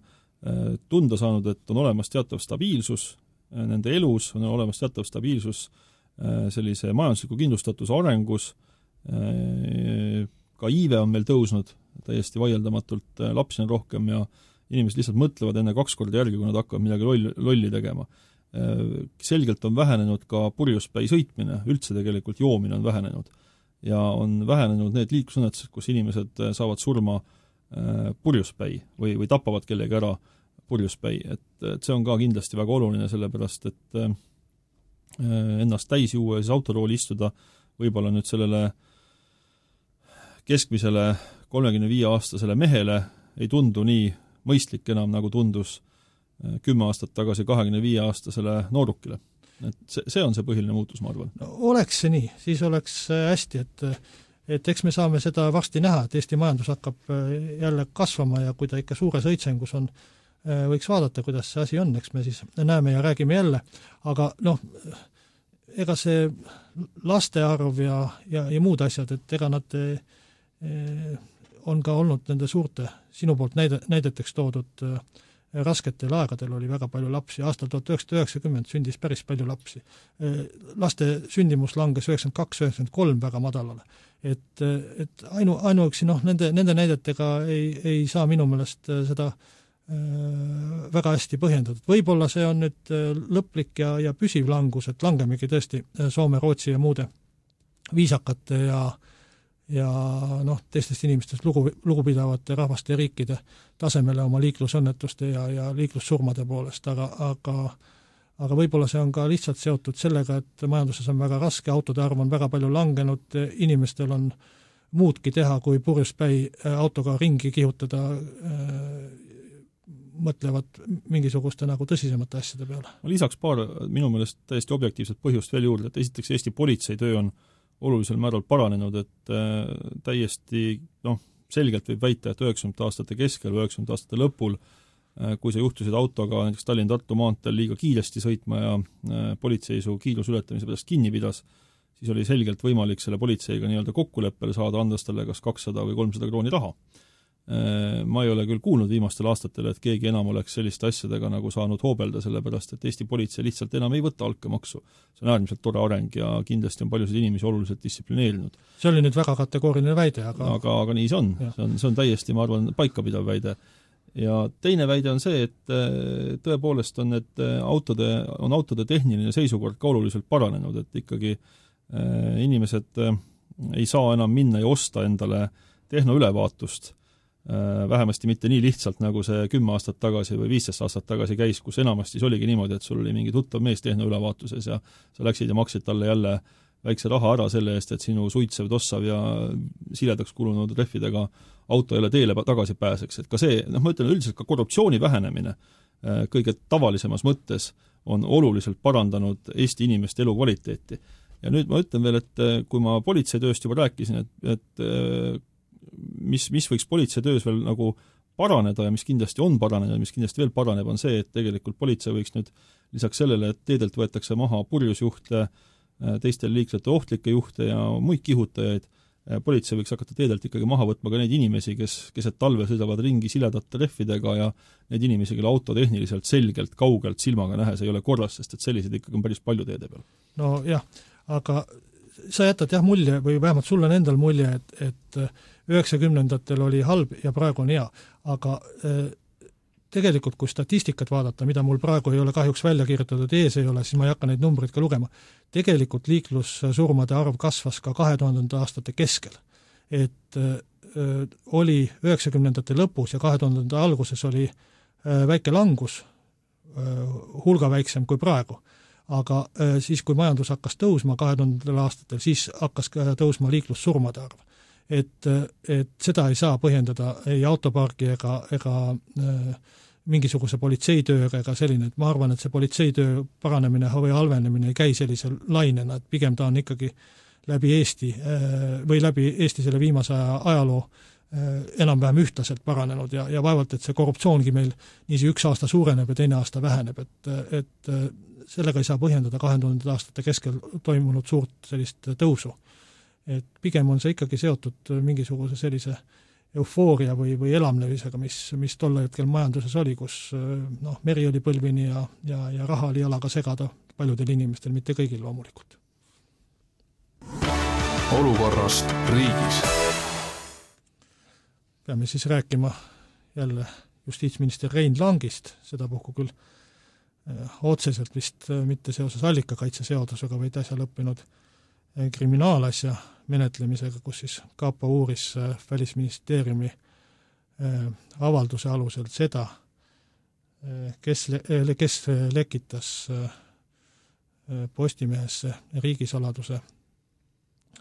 S7: tunda saanud, et on olemas teatav stabiilsus nende elus, on olemas teatav stabiilsus sellise majandusliku kindlustatuse arengus, ka iive on meil tõusnud täiesti vaieldamatult, lapsi on rohkem ja inimesed lihtsalt mõtlevad enne 2 korda järgi, kui nad hakkavad midagi lolli tegema. Selgelt on vähenenud ka purjuspäi sõitmine, üldse tegelikult joomine on vähenenud. Ja on vähenenud need liiklusõnnetused, kus inimesed saavad surma purjuspäi või tapavad kellegi ära purjuspäi. Et see on ka kindlasti väga oluline, sellepärast, et ennast täis juua ja siis autorooli istuda võib-olla nüüd sellele keskmisele 35-aastasele mehele ei tundu nii mõistlik enam, nagu tundus 10 aastat tagasi 25-aastasele noorukile. Et see on see põhiline muutus, ma arvan.
S6: No, oleks see nii, siis oleks hästi, et eks me saame seda varsti näha, et Eesti majandus hakkab jälle kasvama ja kui ta ikka suures õitsengus on, võiks vaadata, kuidas see asi on, eks me siis näeme ja räägime jälle, aga ega see laste arv ja muud asjad, et ega nad on ka olnud nende suurte, sinu poolt näideteks toodud rasketel aegadel oli väga palju lapsi, aastal 1990 sündis päris palju lapsi. Laste sündimus langes 92-93 väga madalale. Et ainuüksi nende näidetega ei saa minu meelest seda väga hästi põhjendatud. Võib-olla see on nüüd lõplik ja püsiv langus, et langemegi tõesti Soome, Rootsi ja muude viisakate ja teistest inimestest lugupidavate rahvaste ja riikide tasemele oma liiklusõnnetuste ja liiklussurmade poolest, aga võib-olla see on ka lihtsalt seotud sellega, et majanduses on väga raske, autode arv on väga palju langenud, inimestel on muudki teha, kui purjuspäi autoga ringi kihutada, mõtlevad mingisuguste nagu tõsisemate asjade peale.
S7: Lisaks paar minu meelest täiesti objektiivset põhjust veel juurde, et esiteks Eesti politsei töö on olulisel määral paranenud, et täiesti selgelt võib väita, et 90 aastate keskel või 90 aastate lõpul, kui sa juhtusid autoga näiteks Tallinn-Tartu maanteel liiga kiiresti sõitma ja politsei su kiirusületamise pärast kinni pidas, siis oli selgelt võimalik selle politseiga nii-öelda kokkuleppele saada, andes talle kas 200 või 300 krooni raha. Ma ei ole küll kuulnud viimastel aastatel, et keegi enam oleks selliste asjadega nagu saanud hoobelda, sellepärast et Eesti politsei lihtsalt enam ei võta altkäemaksu. See on äärmiselt tore areng ja kindlasti on paljusid inimesi oluliselt distsiplineerinud.
S6: See oli nüüd väga kategooriline väide,
S7: aga nii see on. See on täiesti, ma arvan, paikapidav väide. Ja teine väide on see, et tõepoolest on, et autode tehniline seisukord ka oluliselt paranenud, et ikkagi inimesed ei saa enam minna ja osta endale tehnoülevaatust, vähemasti mitte nii lihtsalt, nagu see 10 aastat tagasi või 15 aastat tagasi käis, kus enamasti oligi niimoodi, et sul oli mingi tuttav mees tehnoülevaatuses ja sa läksid ja maksid talle jälle väikse raha ära selle eest, et sinu suitsev, tossav ja siledaks kulunud rehvidega auto jälle teele tagasi pääseks. Et ka see, ma ütlen üldiselt ka korruptsiooni vähenemine kõige tavalisemas mõttes on oluliselt parandanud Eesti inimeste elukvaliteeti. Ja nüüd ma ütlen veel, et kui ma politseitööst juba rääkisin, et mis võiks politseitöös veel nagu paraneda ja mis kindlasti on paranenud ja mis kindlasti veel paraneb, on see, et tegelikult politsei võiks nüüd lisaks sellele, et teedelt võetakse maha purjusjuhte, teistel liiklejate ohtlikke juhte ja muid kihutajaid, politsei võiks hakata teedelt ikkagi maha võtma ka neid inimesi, kes keset talve sõidavad ringi siledate rehvidega ja neid inimesi, kelle auto tehniliselt selgelt kaugelt silmaga nähes ei ole korras, sest et sellised ikkagi on päris palju teede peal.
S6: No jah, aga sa jätad mulje või vähemalt sulle on endal mulje, et 90-ndatel oli halb ja praegu on hea, aga tegelikult kui statistikat vaadata, mida mul praegu ei ole kahjuks välja kirjutatud, ees ei ole, siis ma ei hakka neid numbreid ka lugema. Tegelikult liiklussurmade arv kasvas ka 2000 aastate keskel. Et oli 90-ndate lõpus ja 2000 alguses oli väike langus, hulga väiksem kui praegu. Aga siis, kui majandus hakkas tõusma 2000 aastatel, siis hakkas tõusma liiklussurmade arv. Et seda ei saa põhjendada ei autopargi ega mingisuguse politseitööga ega selline, et ma arvan, et see politseitöö paranemine või halvenemine ei käi sellise lainena, et pigem ta on ikkagi läbi Eesti selle viimase ajaloo enam-vähem ühtlaselt paranenud ja vaevalt, et see korruptsioongi meil niisi üks aasta suureneb ja teine aasta väheneb, et sellega ei saa põhjendada 2000 aastate keskel toimunud suurt sellist tõusu. Et pigem on see ikkagi seotud mingisuguse sellise eufooria või elamlevisega, mis tol hetkel majanduses oli, kus meri oli põlvini ja raha oli jalaga segada paljudel inimestel, mitte kõigil loomulikult.
S5: Olukorrast riigis.
S6: Peame siis rääkima jälle justiitsminister Rein Langist, seda puhku küll otseselt vist mitte seoses allikakaitseseadusega, vaid äsja lõppenud kriminaalasja menetlemisega, kus siis Kapo uuris Välisministeeriumi avalduse alusel seda, kes lekitas Postimehesse riigisaladuse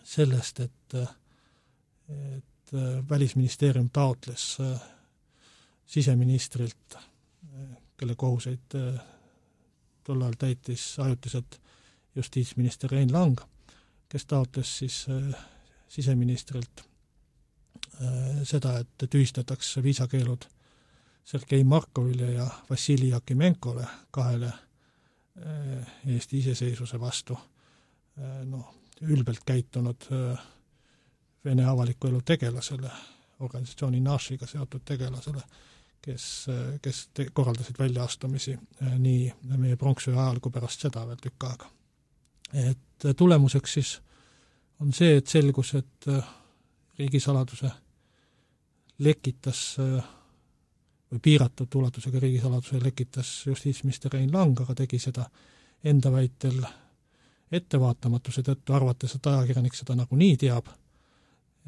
S6: sellest, et Välisministeerium taotles siseministrilt, kelle kohuseid tollal täitis ajutiselt justiitsminister Rein Lang, kes taotles siis siseministrilt seda, et tühistatakse viisakeelud Sergei Markovile ja Vassili Jakimenkole, kahele Eesti iseseisvuse vastu ülbelt käitunud Vene avaliku elu tegelasele, organisatsiooni Nashiga seotud tegelasele, kes korraldasid väljaastumisi nii meie pronksöö ajal kui pärast seda veel tükk aega. Et tulemuseks siis on see, et selgus, et riigisaladuse lekitas või piiratud ulatusega riigisaladuse lekitas justiitsminister Rein Lang, aga tegi seda enda väitel ettevaatamatuse tõttu, arvates, et ajakirjanik seda nagunii teab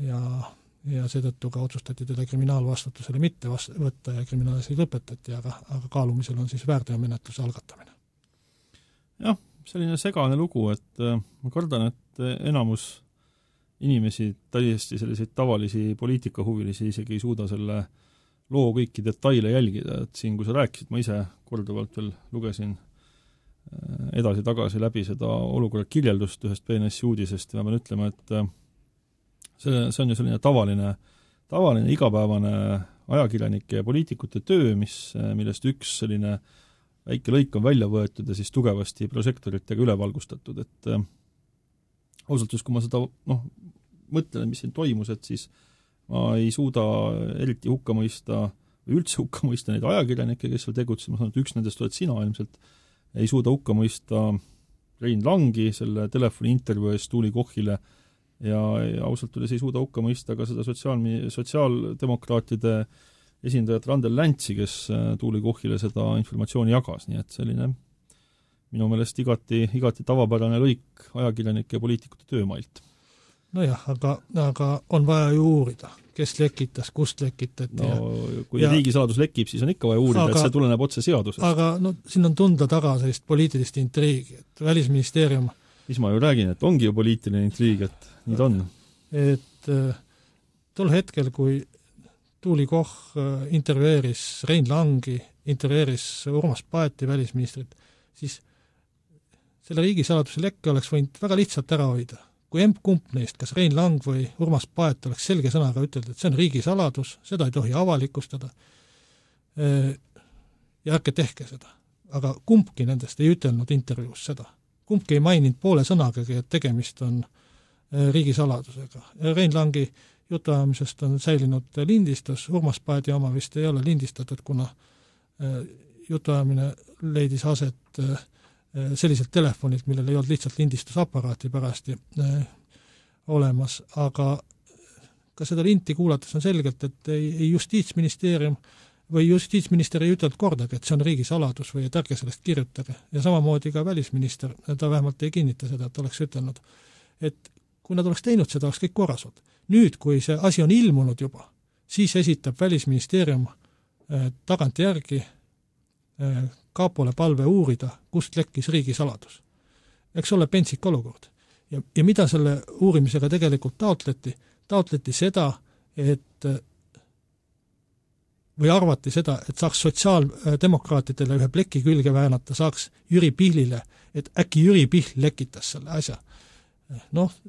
S6: ja seetõttu ka otsustati teda kriminaalvastutusele mitte võtta ja kriminaalasi lõpetati, aga kaalumisel on siis väärteomenetluse algatamine.
S7: Jah, selline segane lugu, et ma kardan, et enamus inimesi, täiesti selliseid tavalisi poliitikahuvilisi isegi ei suuda selle loo kõiki detaile jälgida, et siin, kui sa rääkisid, ma ise korduvalt veel lugesin edasi-tagasi läbi seda olukorra kirjeldust ühest BNS uudisest ja ma pean ütlema, et see on ju selline tavaline igapäevane ajakirjanike ja poliitikute töö, millest üks selline väike lõik on välja võetud ja siis tugevasti prožektoritega üle valgustatud, et ausalt just, kui ma seda mõtlen, mis siin toimus, et siis ma ei suuda eriti hukka mõista või üldse hukka mõista neid ajakirjanikke, kes seal tegutsesid, ma saan, et üks nendest oled sina ilmselt, ei suuda hukka mõista Rein Langi selle telefoniintervjuu eest Tuuli Kohile ja ausalt öeldes ei suuda hukka mõista ka seda sotsiaaldemokraatide esindajat Randel Läntsi, kes Tuuli Kohile seda informatsiooni jagas, nii et selline minu meelest igati tavapärane lõik ajakirjanike ja poliitikute töömailt.
S6: Nojah, aga on vaja ju uurida, kes lekitas, kust lekitati.
S7: Kui riigisaladus lekib, siis on ikka vaja uurida, et see tuleneb otse seadusest.
S6: Aga siin on tunda taga sellist poliitilist intriigi, et Välisministeerium
S7: mis ma ju räägin, et ongi ju poliitiline intriig, et nii ta on.
S6: Et tol hetkel, kui Tuuli Koch intervjueeris Rein Langi, intervjueeris Urmas Paeti välisministrit, siis selle riigisaladuse lekke oleks võinud väga lihtsalt ära hoida. Kui kump neist, kas Rein Lang või Urmas Paet oleks selge sõnaga ütelnud, et see on riigisaladus, seda ei tohi avalikustada ja ärge tehke seda. Aga kumbki nendest ei ütelnud intervjuus seda. Kumbki ei maininud poole sõnagagi, et tegemist on riigisaladusega. Rein Langi jutuajamisest on säilinud lindistus, Urmas Paeti oma vist ei ole lindistatud, kuna jutuajamine leidis aset selliselt telefonilt, millel ei olnud lihtsalt lindistusaparaati pärasti olemas, aga ka seda linti kuulates on selgelt, et ei justiitsministeerium või justiitsminister ei ütelnud kordagi, et see on riigisaladus või et ärge sellest kirjutage. Ja samamoodi ka välisminister, ta vähemalt ei kinnita seda, et oleks ütelnud, et kui nad oleks teinud seda, oleks kõik korras olnud. Nüüd, kui see asi on ilmunud juba, siis esitab Välisministeerium tagantjärgi Kaapole palve uurida, kust lekkis riigisaladus. Eks ole pentsik olukord. Ja mida selle uurimisega tegelikult taotleti? Taotleti seda, või arvati seda, et saaks sotsiaaldemokraatidele ühe pleki külge väänata, saaks Jüri Pihlile, et äkki Jüri Pihl lekitas selle asja.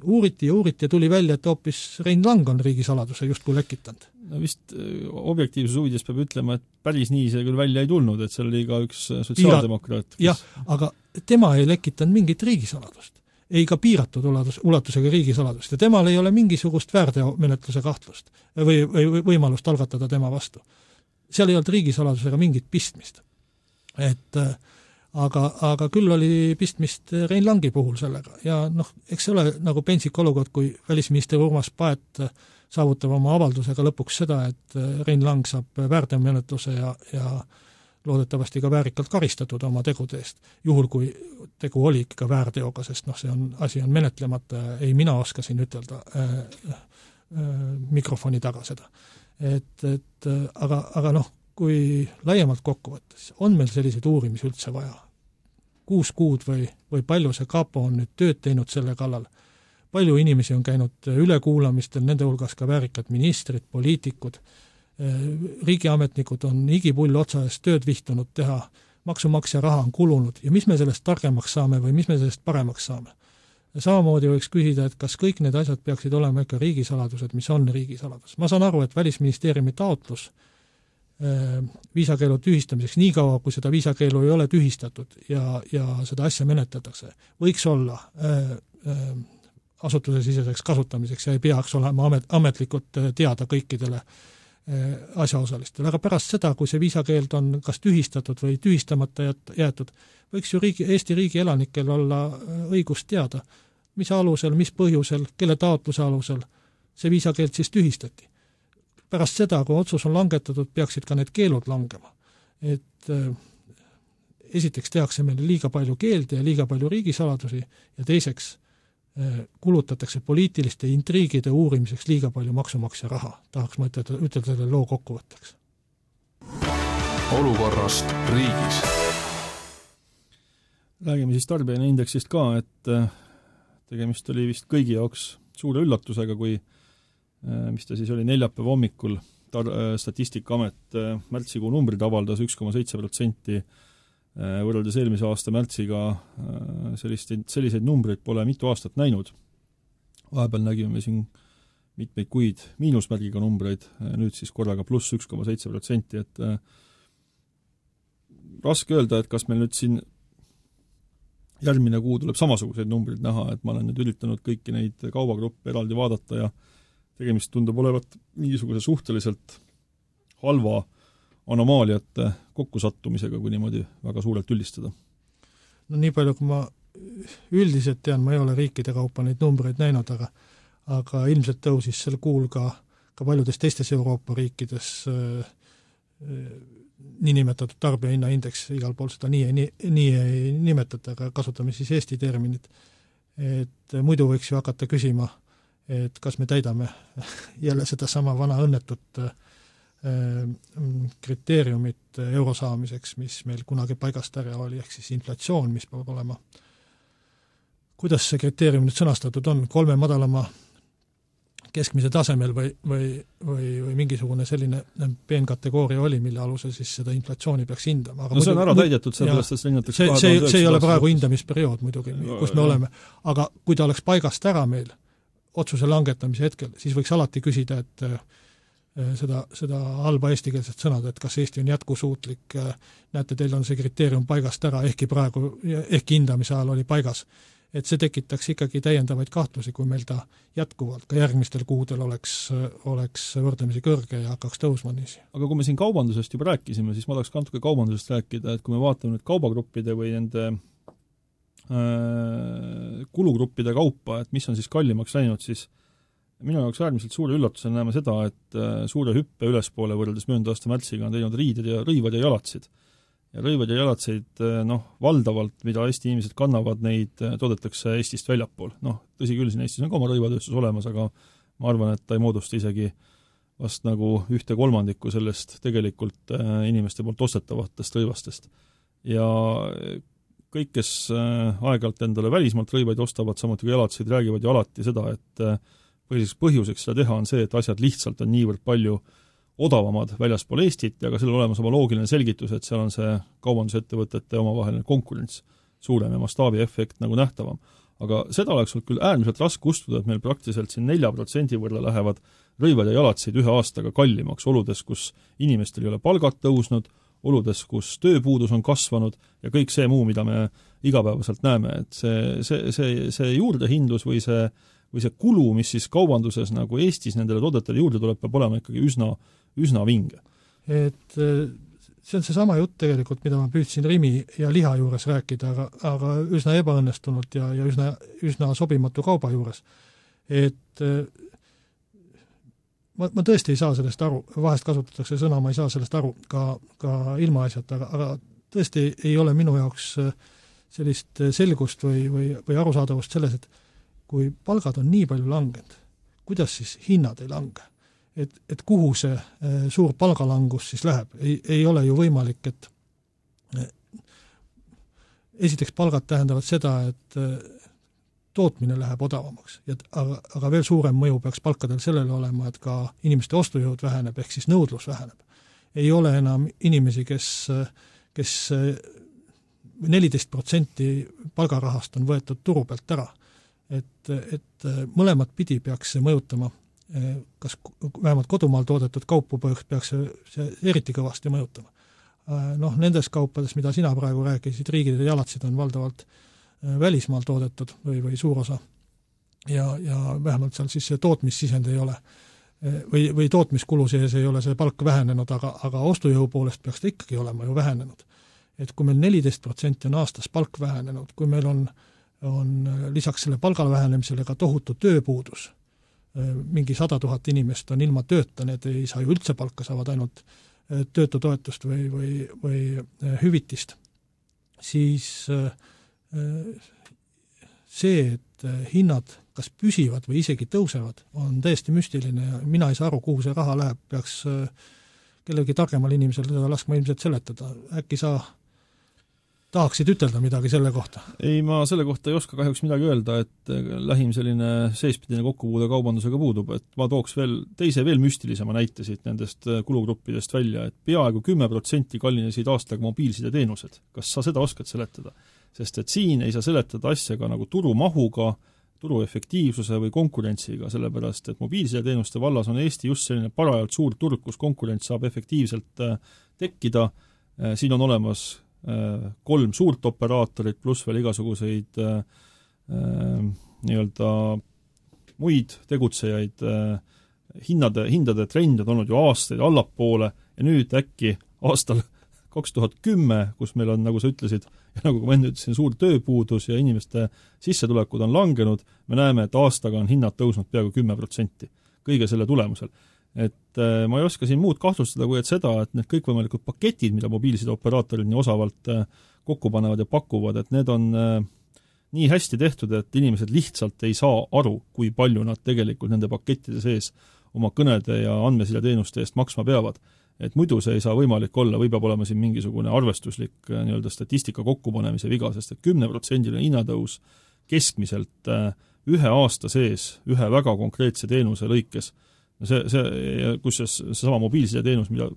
S6: Uuriti ja tuli välja, et hoopis Rein Lang on riigisaladuse justkui lekitanud.
S7: No vist objektiivsus huvides peab ütlema, et päris nii see küll välja ei tulnud, et seal oli ka üks sotsiaaldemokraat.
S6: Jah, aga tema ei lekitanud mingit riigisaladust. Ei ka piiratud ulatusega riigisaladust ja temal ei ole mingisugust väärteomenetluse kahtlust või võimalust algatada tema vastu. Seal ei olnud riigisaladusega mingit pistmist. Aga küll oli pistmist Rein Langi puhul sellega ja eks see ole nagu pentsik olukord, kui välisminister Urmas Paet saavutab oma avaldusega lõpuks seda, et Rein Lang saab väärteomenetluse ja loodetavasti ka väärikalt karistatud oma tegude eest, juhul kui tegu oli ikka väärteoga, sest asi on menetlemata, ei mina oska siin ütelda mikrofoni taga seda. Aga kui laiemalt kokku võttes, on meil selliseid uurimisi üldse vaja? 6 kuud või palju see kapo on nüüd tööd teinud selle kallal? Palju inimesi on käinud ülekuulamistel, nende hulgas ka väärikad ministrid, poliitikud, riigiametnikud on igipull otsa eest tööd vihtunud teha, maksumaksja raha on kulunud ja mis me sellest targemaks saame või mis me sellest paremaks saame. Ja samamoodi võiks küsida, et kas kõik need asjad peaksid olema ikka riigisaladused, mis on riigisaladus. Ma saan aru, et Välisministeeriumi taotlus viisakeelu tühistamiseks, nii kaua, kui seda viisakeelu ei ole tühistatud ja seda asja menetletakse, võiks olla asutuse siseseks kasutamiseks ja ei peaks olema ametlikult teada kõikidele asjaosalistele. Aga pärast seda, kui see viisakeeld on kas tühistatud või tühistamata jäetud, võiks ju Eesti riigi elanikel olla õigus teada, mis alusel, mis põhjusel, kelle taotluse alusel see viisakeeld siis tühistati. Pärast seda, kui otsus on langetatud, peaksid ka need keelud langema. Et esiteks tehakse meile liiga palju keelde ja liiga palju riigisaladusi ja teiseks kulutatakse poliitiliste intriigide uurimiseks liiga palju maksumaksja raha. Tahaks ma ütelda selle loo kokkuvõtteks.
S5: Olukorrast riigis.
S7: Räägime siis tarbijaindeksist ka, et tegemist oli vist kõigi jaoks suure üllatusega, kui mis ta siis oli neljapäeva hommikul, Statistikaamet märtsikuu numbrid avaldas 1,7%, võrreldes eelmise aasta märtsiga selliseid numbreid pole mitu aastat näinud. Vahepeal nägime siin mitmeid kuid miinusmärgiga numbreid, nüüd siis korraga pluss 1,7%, et raske öelda, et kas meil nüüd siin järgmine kuu tuleb samasuguseid numbreid näha, et ma olen nüüd üritanud kõiki neid kaubagruppe eraldi vaadata ja tegemist tundub olevat mingisuguse suhteliselt halva anomaaliate kokkusattumisega, kui niimoodi väga suurelt üldistada.
S6: No nii palju, kui ma üldiselt tean, ma ei ole riikide kaupa neid numbreid näinud, aga ilmselt tõusis sel kuul ka paljudes teistes Euroopa riikides niinimetatud tarbijahinnaindeks, igal pool seda nii ei nimetata, aga kasutame siis Eesti terminit. Et muidu võiks ju hakata küsima, et kas me täidame jälle seda sama vana õnnetut kriteeriumit euro saamiseks, mis meil kunagi paigast ära oli, ehk siis inflatsioon, mis peab olema. Kuidas see kriteerium nüüd sõnastatud on? 3 madalama keskmise tasemel või mingisugune selline peenkategooria oli, mille alusel siis seda inflatsiooni peaks hindama. Aga
S7: see on ära täidetud, sellepärast, et linnatakse
S6: see ei ole praegu hindamisperiood muidugi, kus me oleme. Aga kui ta oleks paigast ära meil otsuse langetamise hetkel, siis võiks alati küsida, et seda halba eestikeelset sõnad, et kas Eesti on jätkusuutlik, näete, teil on see kriteerium paigast ära, ehkki hindamise ajal oli paigas. Et see tekitaks ikkagi täiendavaid kahtlusi, kui meil ta jätkuvalt ka järgmistel kuudel oleks võrdlemisi kõrge ja hakkaks tõusma niisi.
S7: Aga kui me siin kaubandusest juba rääkisime, siis ma tahaks natuke kaubandusest rääkida, et kui me vaatame nüüd kaubagruppide või nende kulugruppide kaupa, et mis on siis kallimaks läinud, siis minu jaoks äärmiselt suure üllatusena näeme seda, et suure hüppe ülespoole võrreldes möödunud aasta märtsiga on teinud rõivad ja jalatsid. Ja rõivad ja jalatseid, valdavalt, mida Eesti inimesed kannavad, neid toodetakse Eestist väljapool. Tõsi küll, siin Eestis on ka oma rõivatööstus olemas, aga ma arvan, et ta ei moodusta isegi vast nagu 1/3 sellest tegelikult inimeste poolt ostetavatest rõivastest. Ja kõik, kes aeg-ajalt endale välismaalt rõivaid ostavad, samuti ka jalatseid, räägivad ju alati seda, et põhjuseks seda teha on see, et asjad lihtsalt on niivõrd palju odavamad väljaspool Eestit ja ka sellel olemas oma loogiline selgitus, et seal on see kaubandusettevõtete omavaheline konkurents suurem ja mastaabiefekt nagu nähtavam. Aga seda oleks küll äärmiselt raske ustuda, et meil praktiliselt siin 4% võrra lähevad rõivad ja jalatseid ühe aastaga kallimaks oludes, kus inimestel ei ole palgad tõusnud, oludes, kus tööpuudus on kasvanud ja kõik see muu, mida me igapäevaselt näeme, et see juurdehindlus või see kulu, mis siis kaubanduses nagu Eestis nendele toodetele juurde tuleb, peab olema ikkagi üsna vinge.
S6: Et see on see sama jutt tegelikult, mida ma püüdsin Rimi ja liha juures rääkida, aga üsna ebaõnnestunult ja üsna sobimatu kauba juures. Et ma tõesti ei saa sellest aru, vahest kasutatakse sõna, ma ei saa sellest aru ka ilmaasjata, aga tõesti ei ole minu jaoks sellist selgust või arusaadavust selles, et kui palgad on nii palju langenud, kuidas siis hinnad ei lange? Et kuhu see suur palgalangus siis läheb? Ei ole ju võimalik, et esiteks palgad tähendavad seda, et tootmine läheb odavamaks. Aga veel suurem mõju peaks palkadel sellele olema, et ka inimeste ostujõud väheneb, ehk siis nõudlus väheneb. Ei ole enam inimesi, kes 14% palgarahast on võetud turu pealt ära. Et mõlemat pidi peaks see mõjutama, kas vähemalt kodumaal toodetud kaupu peaks see eriti kõvasti mõjutama. Nendes kaupades, mida sina praegu rääkisid, riigid ja jalatsid on valdavalt välismaal toodetud või suur osa ja vähemalt seal siis see tootmissisend ei ole või tootmiskulu sees ei ole see palk vähenenud, aga ostujõu poolest peaks ta ikkagi olema ju vähenenud. Et kui meil 14% on aastas palk vähenenud, kui meil on lisaks selle palgal vähenemisele ka tohutu tööpuudus, mingi 100 000 inimest on ilma tööta, need ei saa ju üldse palka, saavad ainult töötutoetust või hüvitist, siis see, et hinnad kas püsivad või isegi tõusevad, on täiesti müstiline ja mina ei saa aru, kuhu see raha läheb, peaks kellegi targemal inimesel seda laskma ilmselt seletada. Äkki sa tahaksid ütelda midagi selle kohta?
S7: Ei, ma selle kohta ei oska kahjuks midagi öelda, et lähim selline seespidine kokkupuude kaubandusega puudub, et ma tooks veel müstilisema näite siit nendest kulugruppidest välja, et peaaegu 10% kallinesid aastaga mobiilsideteenused. Kas sa seda oskad seletada? Sest et siin ei saa seletada asja ka nagu turumahuga, turu efektiivsuse või konkurentsiga, sellepärast et mobiilsideteenuste vallas on Eesti just selline parajalt suur turg, kus konkurents saab efektiivselt tekkida. Siin on olemas 3 suurt operaatorit pluss veel igasuguseid nii-öelda muid tegutsejaid. Hindade trend on olnud ju aastaid allapoole ja nüüd äkki aastal 2010, kus meil on, nagu sa ütlesid, ja nagu ma enne ütlesin, suur tööpuudus ja inimeste sissetulekud on langenud, me näeme, et aastaga on hinnad tõusnud peaaegu 10% kõige selle tulemusel. Et ma ei oska siin muud kahtlustada, kui et seda, et need kõikvõimalikud paketid, mida mobiilside operaatorid nii osavalt kokku panevad ja pakuvad, et need on nii hästi tehtud, et inimesed lihtsalt ei saa aru, kui palju nad tegelikult nende pakettide sees oma kõnede ja andmesideteenuste eest maksma peavad. Et muidu see ei saa võimalik olla või peab olema siin mingisugune arvestuslik nii-öelda statistika kokkupanemise viga, sest et 10% hinnatõus keskmiselt ühe aasta sees ühe väga konkreetse teenuse lõikes, kus see sama mobiilsideteenus, mida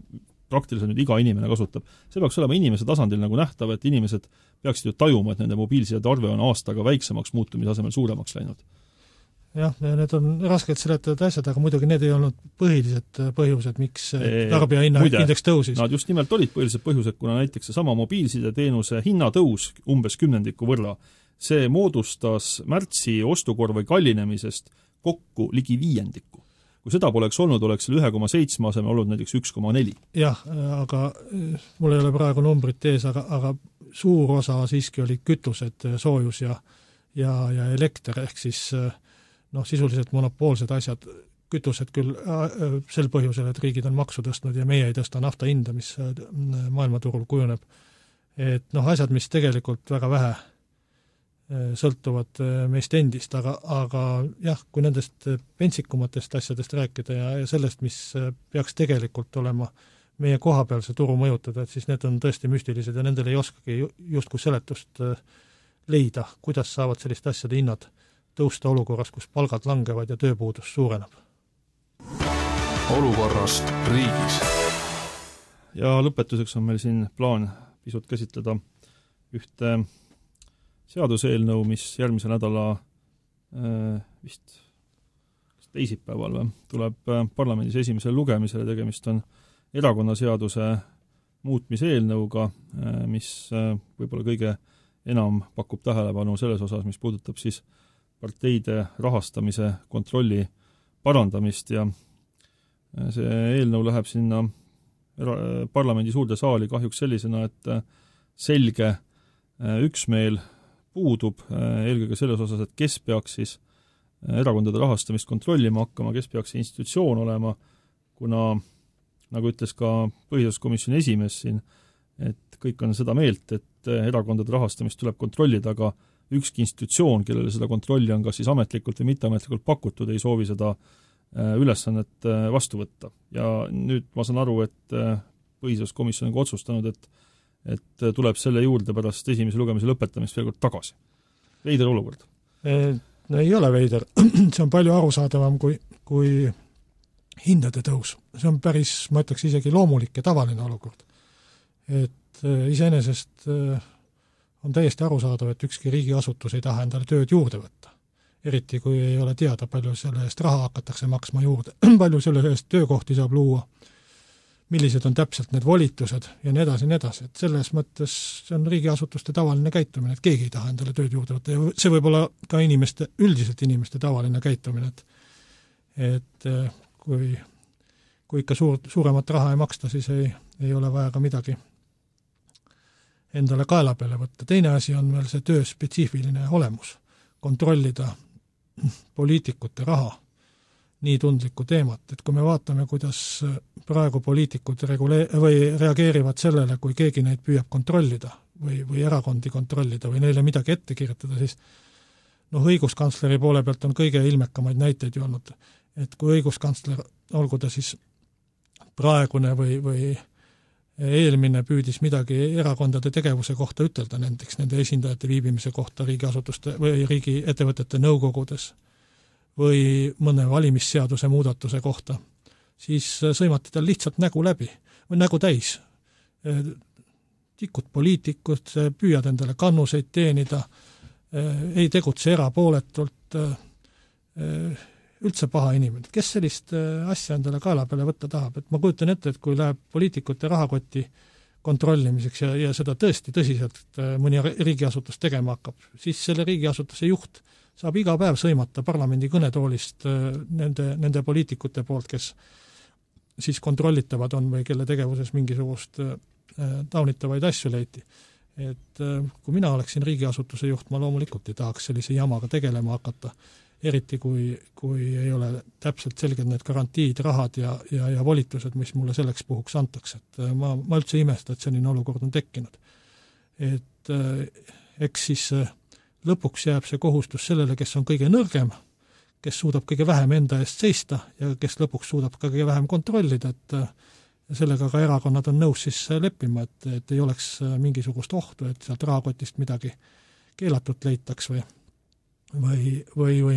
S7: praktiliselt nüüd iga inimene kasutab, see peaks olema inimese tasandil nagu nähtav, et inimesed peaksid ju tajuma, et nende mobiilsidede arve on aastaga väiksemaks muutumise asemel suuremaks läinud.
S6: Jah, need on raskelt seletatud asjad, aga muidugi need ei olnud põhilised põhjused, miks tarbija indeks tõusis.
S7: Nad just nimelt olid põhilised põhjused, kuna näiteks see sama mobiilsideteenuse hinnatõus umbes 10% võrra, see moodustas märtsi ostukorvi kallinemisest kokku ligi 5%. Kui seda poleks olnud, oleks selle 1,7 asemel olnud näiteks 1,4.
S6: Jah, aga mul ei ole praegu numbrit ees, aga suur osa siiski oli kütused, soojus ja elekter, ehk siis sisuliselt monopoolsed asjad, kütused küll sel põhjusel, et riigid on maksu tõstnud ja meie ei tõsta nafta hinda, mis maailmaturul kujuneb. Et asjad, mis tegelikult väga vähe sõltuvad meist endist, aga jah, kui nendest pentsikumatest asjadest rääkida ja sellest, mis peaks tegelikult olema meie kohapealse turu mõjutada, et siis need on tõesti müstilised ja nendel ei oskagi justkui seletust leida, kuidas saavad sellist asjade hinnad tõusta olukorras, kus palgad langevad ja tööpuudus suureneb.
S5: Olukorrast riigis.
S7: Ja lõpetuseks on meil siin plaan pisut käsitleda ühte seaduseelnõu, mis järgmise nädala vist teisipäeval tuleb parlamendis esimesele lugemisele. Tegemist on erakonnaseaduse muutmise eelnõuga, mis võib-olla kõige enam pakub tähelepanu selles osas, mis puudutab siis parteide rahastamise kontrolli parandamist ja see eelnõu läheb sinna parlamendi suurde saali kahjuks sellisena, et selge üksmeel puudub eelkõige selles osas, et kes peaks siis erakondade rahastamist kontrollima hakkama, kes peaks see institutsioon olema, kuna nagu ütles ka põhiseaduskomisjoni esimees siin, et kõik on seda meelt, et erakondade rahastamist tuleb kontrollida, aga ükski institutsioon, kellele seda kontrolli on kas siis ametlikult või mitteametlikult pakutud, ei soovi seda ülesannet vastu võtta. Ja nüüd ma saan aru, et põhiseaduskomisjon on otsustanud, et tuleb selle juurde pärast esimese lugemise lõpetamist veel kord tagasi. Veider olukord.
S6: No ei ole veider, see on palju arusaadavam kui hindade tõus. See on päris, ma ütleks isegi loomulik ja tavaline olukord. Et iseenesest on täiesti arusaadav, et ükski riigiasutus ei taha endale tööd juurde võtta. Eriti kui ei ole teada, palju selle eest raha hakatakse maksma juurde, palju selle eest töökohti saab luua, millised on täpselt need volitused ja nii edasi, nii edasi. Et selles mõttes see on riigiasutuste tavaline käitumine, et keegi ei taha endale tööd juurde võtta ja see võib olla ka üldiselt inimeste tavaline käitumine, et kui ikka suuremat raha ei maksta, siis ei ole vaja ka midagi endale kaela peale võtta. Teine asi on veel see töö spetsiifiline olemus, kontrollida poliitikute raha, nii tundlikku teemat, et kui me vaatame, kuidas praegu poliitikud reageerivad sellele, kui keegi neid püüab kontrollida või erakondi kontrollida või neile midagi ette kirjutada, siis õiguskantsleri poole pealt on kõige ilmekamaid näiteid ju olnud, et kui õiguskantsler, olgu ta siis praegune või eelmine püüdis midagi erakondade tegevuse kohta ütelda, näiteks nende esindajate viibimise kohta riigiasutuste või riigiettevõtete nõukogudes või mõne valimisseaduse muudatuse kohta, siis sõimati tal lihtsalt nägu läbi või nägu täis. Tikud poliitikud, püüad endale kannuseid teenida, ei tegutse erapooletult, üldse paha inimene. Kes sellist asja endale kaela peale võtta tahab? Et ma kujutan ette, et kui läheb poliitikute rahakoti kontrollimiseks ja seda tõesti tõsiselt mõni riigiasutus tegema hakkab, siis selle riigiasutuse juht saab iga päev sõimata parlamendi kõnetoolist nende poliitikute poolt, kes siis kontrollitavad on või kelle tegevuses mingisugust taunitavaid asju leiti. Et kui mina oleksin riigiasutuse juht, ma loomulikult ei tahaks sellise jamaga tegelema hakata, eriti kui ei ole täpselt selged need garantiid, rahad ja volitused, mis mulle selleks puhuks antakse. Et ma üldse imesta, et selline olukord on tekkinud. Et eks siis lõpuks jääb see kohustus sellele, kes on kõige nõrgem, kes suudab kõige vähem enda eest seista ja kes lõpuks suudab ka kõige vähem kontrollida, et sellega ka erakonnad on nõus siis leppima, et ei oleks mingisugust ohtu, et sealt rahakotist midagi keelatut leitaks või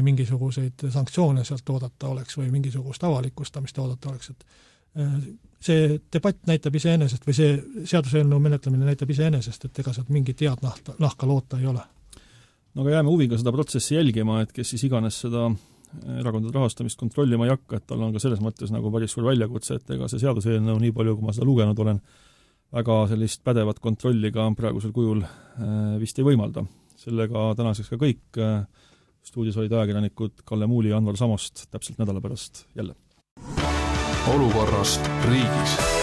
S6: mingisuguseid sanktsioone sealt oodata oleks või mingisugust avalikustamist oodata oleks. Et see debatt näitab iseenesest või see seaduseelnõu menetlemine näitab iseenesest, et ega sealt mingit head nahka loota ei ole.
S7: No aga jääme huviga seda protsessi jälgima, et kes siis iganes seda erakondade rahastamist kontrollima ei hakka, et tal on ka selles mõttes nagu päris suur väljakutse, et ega see seaduseelnõu nii palju, kui ma seda lugenud olen, väga sellist pädevat kontrolli ka praegusel kujul vist ei võimalda. Sellega tänaseks ka kõik. Stuudios olid ajakirjanikud Kalle Muuli ja Anvar Samost täpselt nädala pärast jälle.
S5: Olukorrast riigis.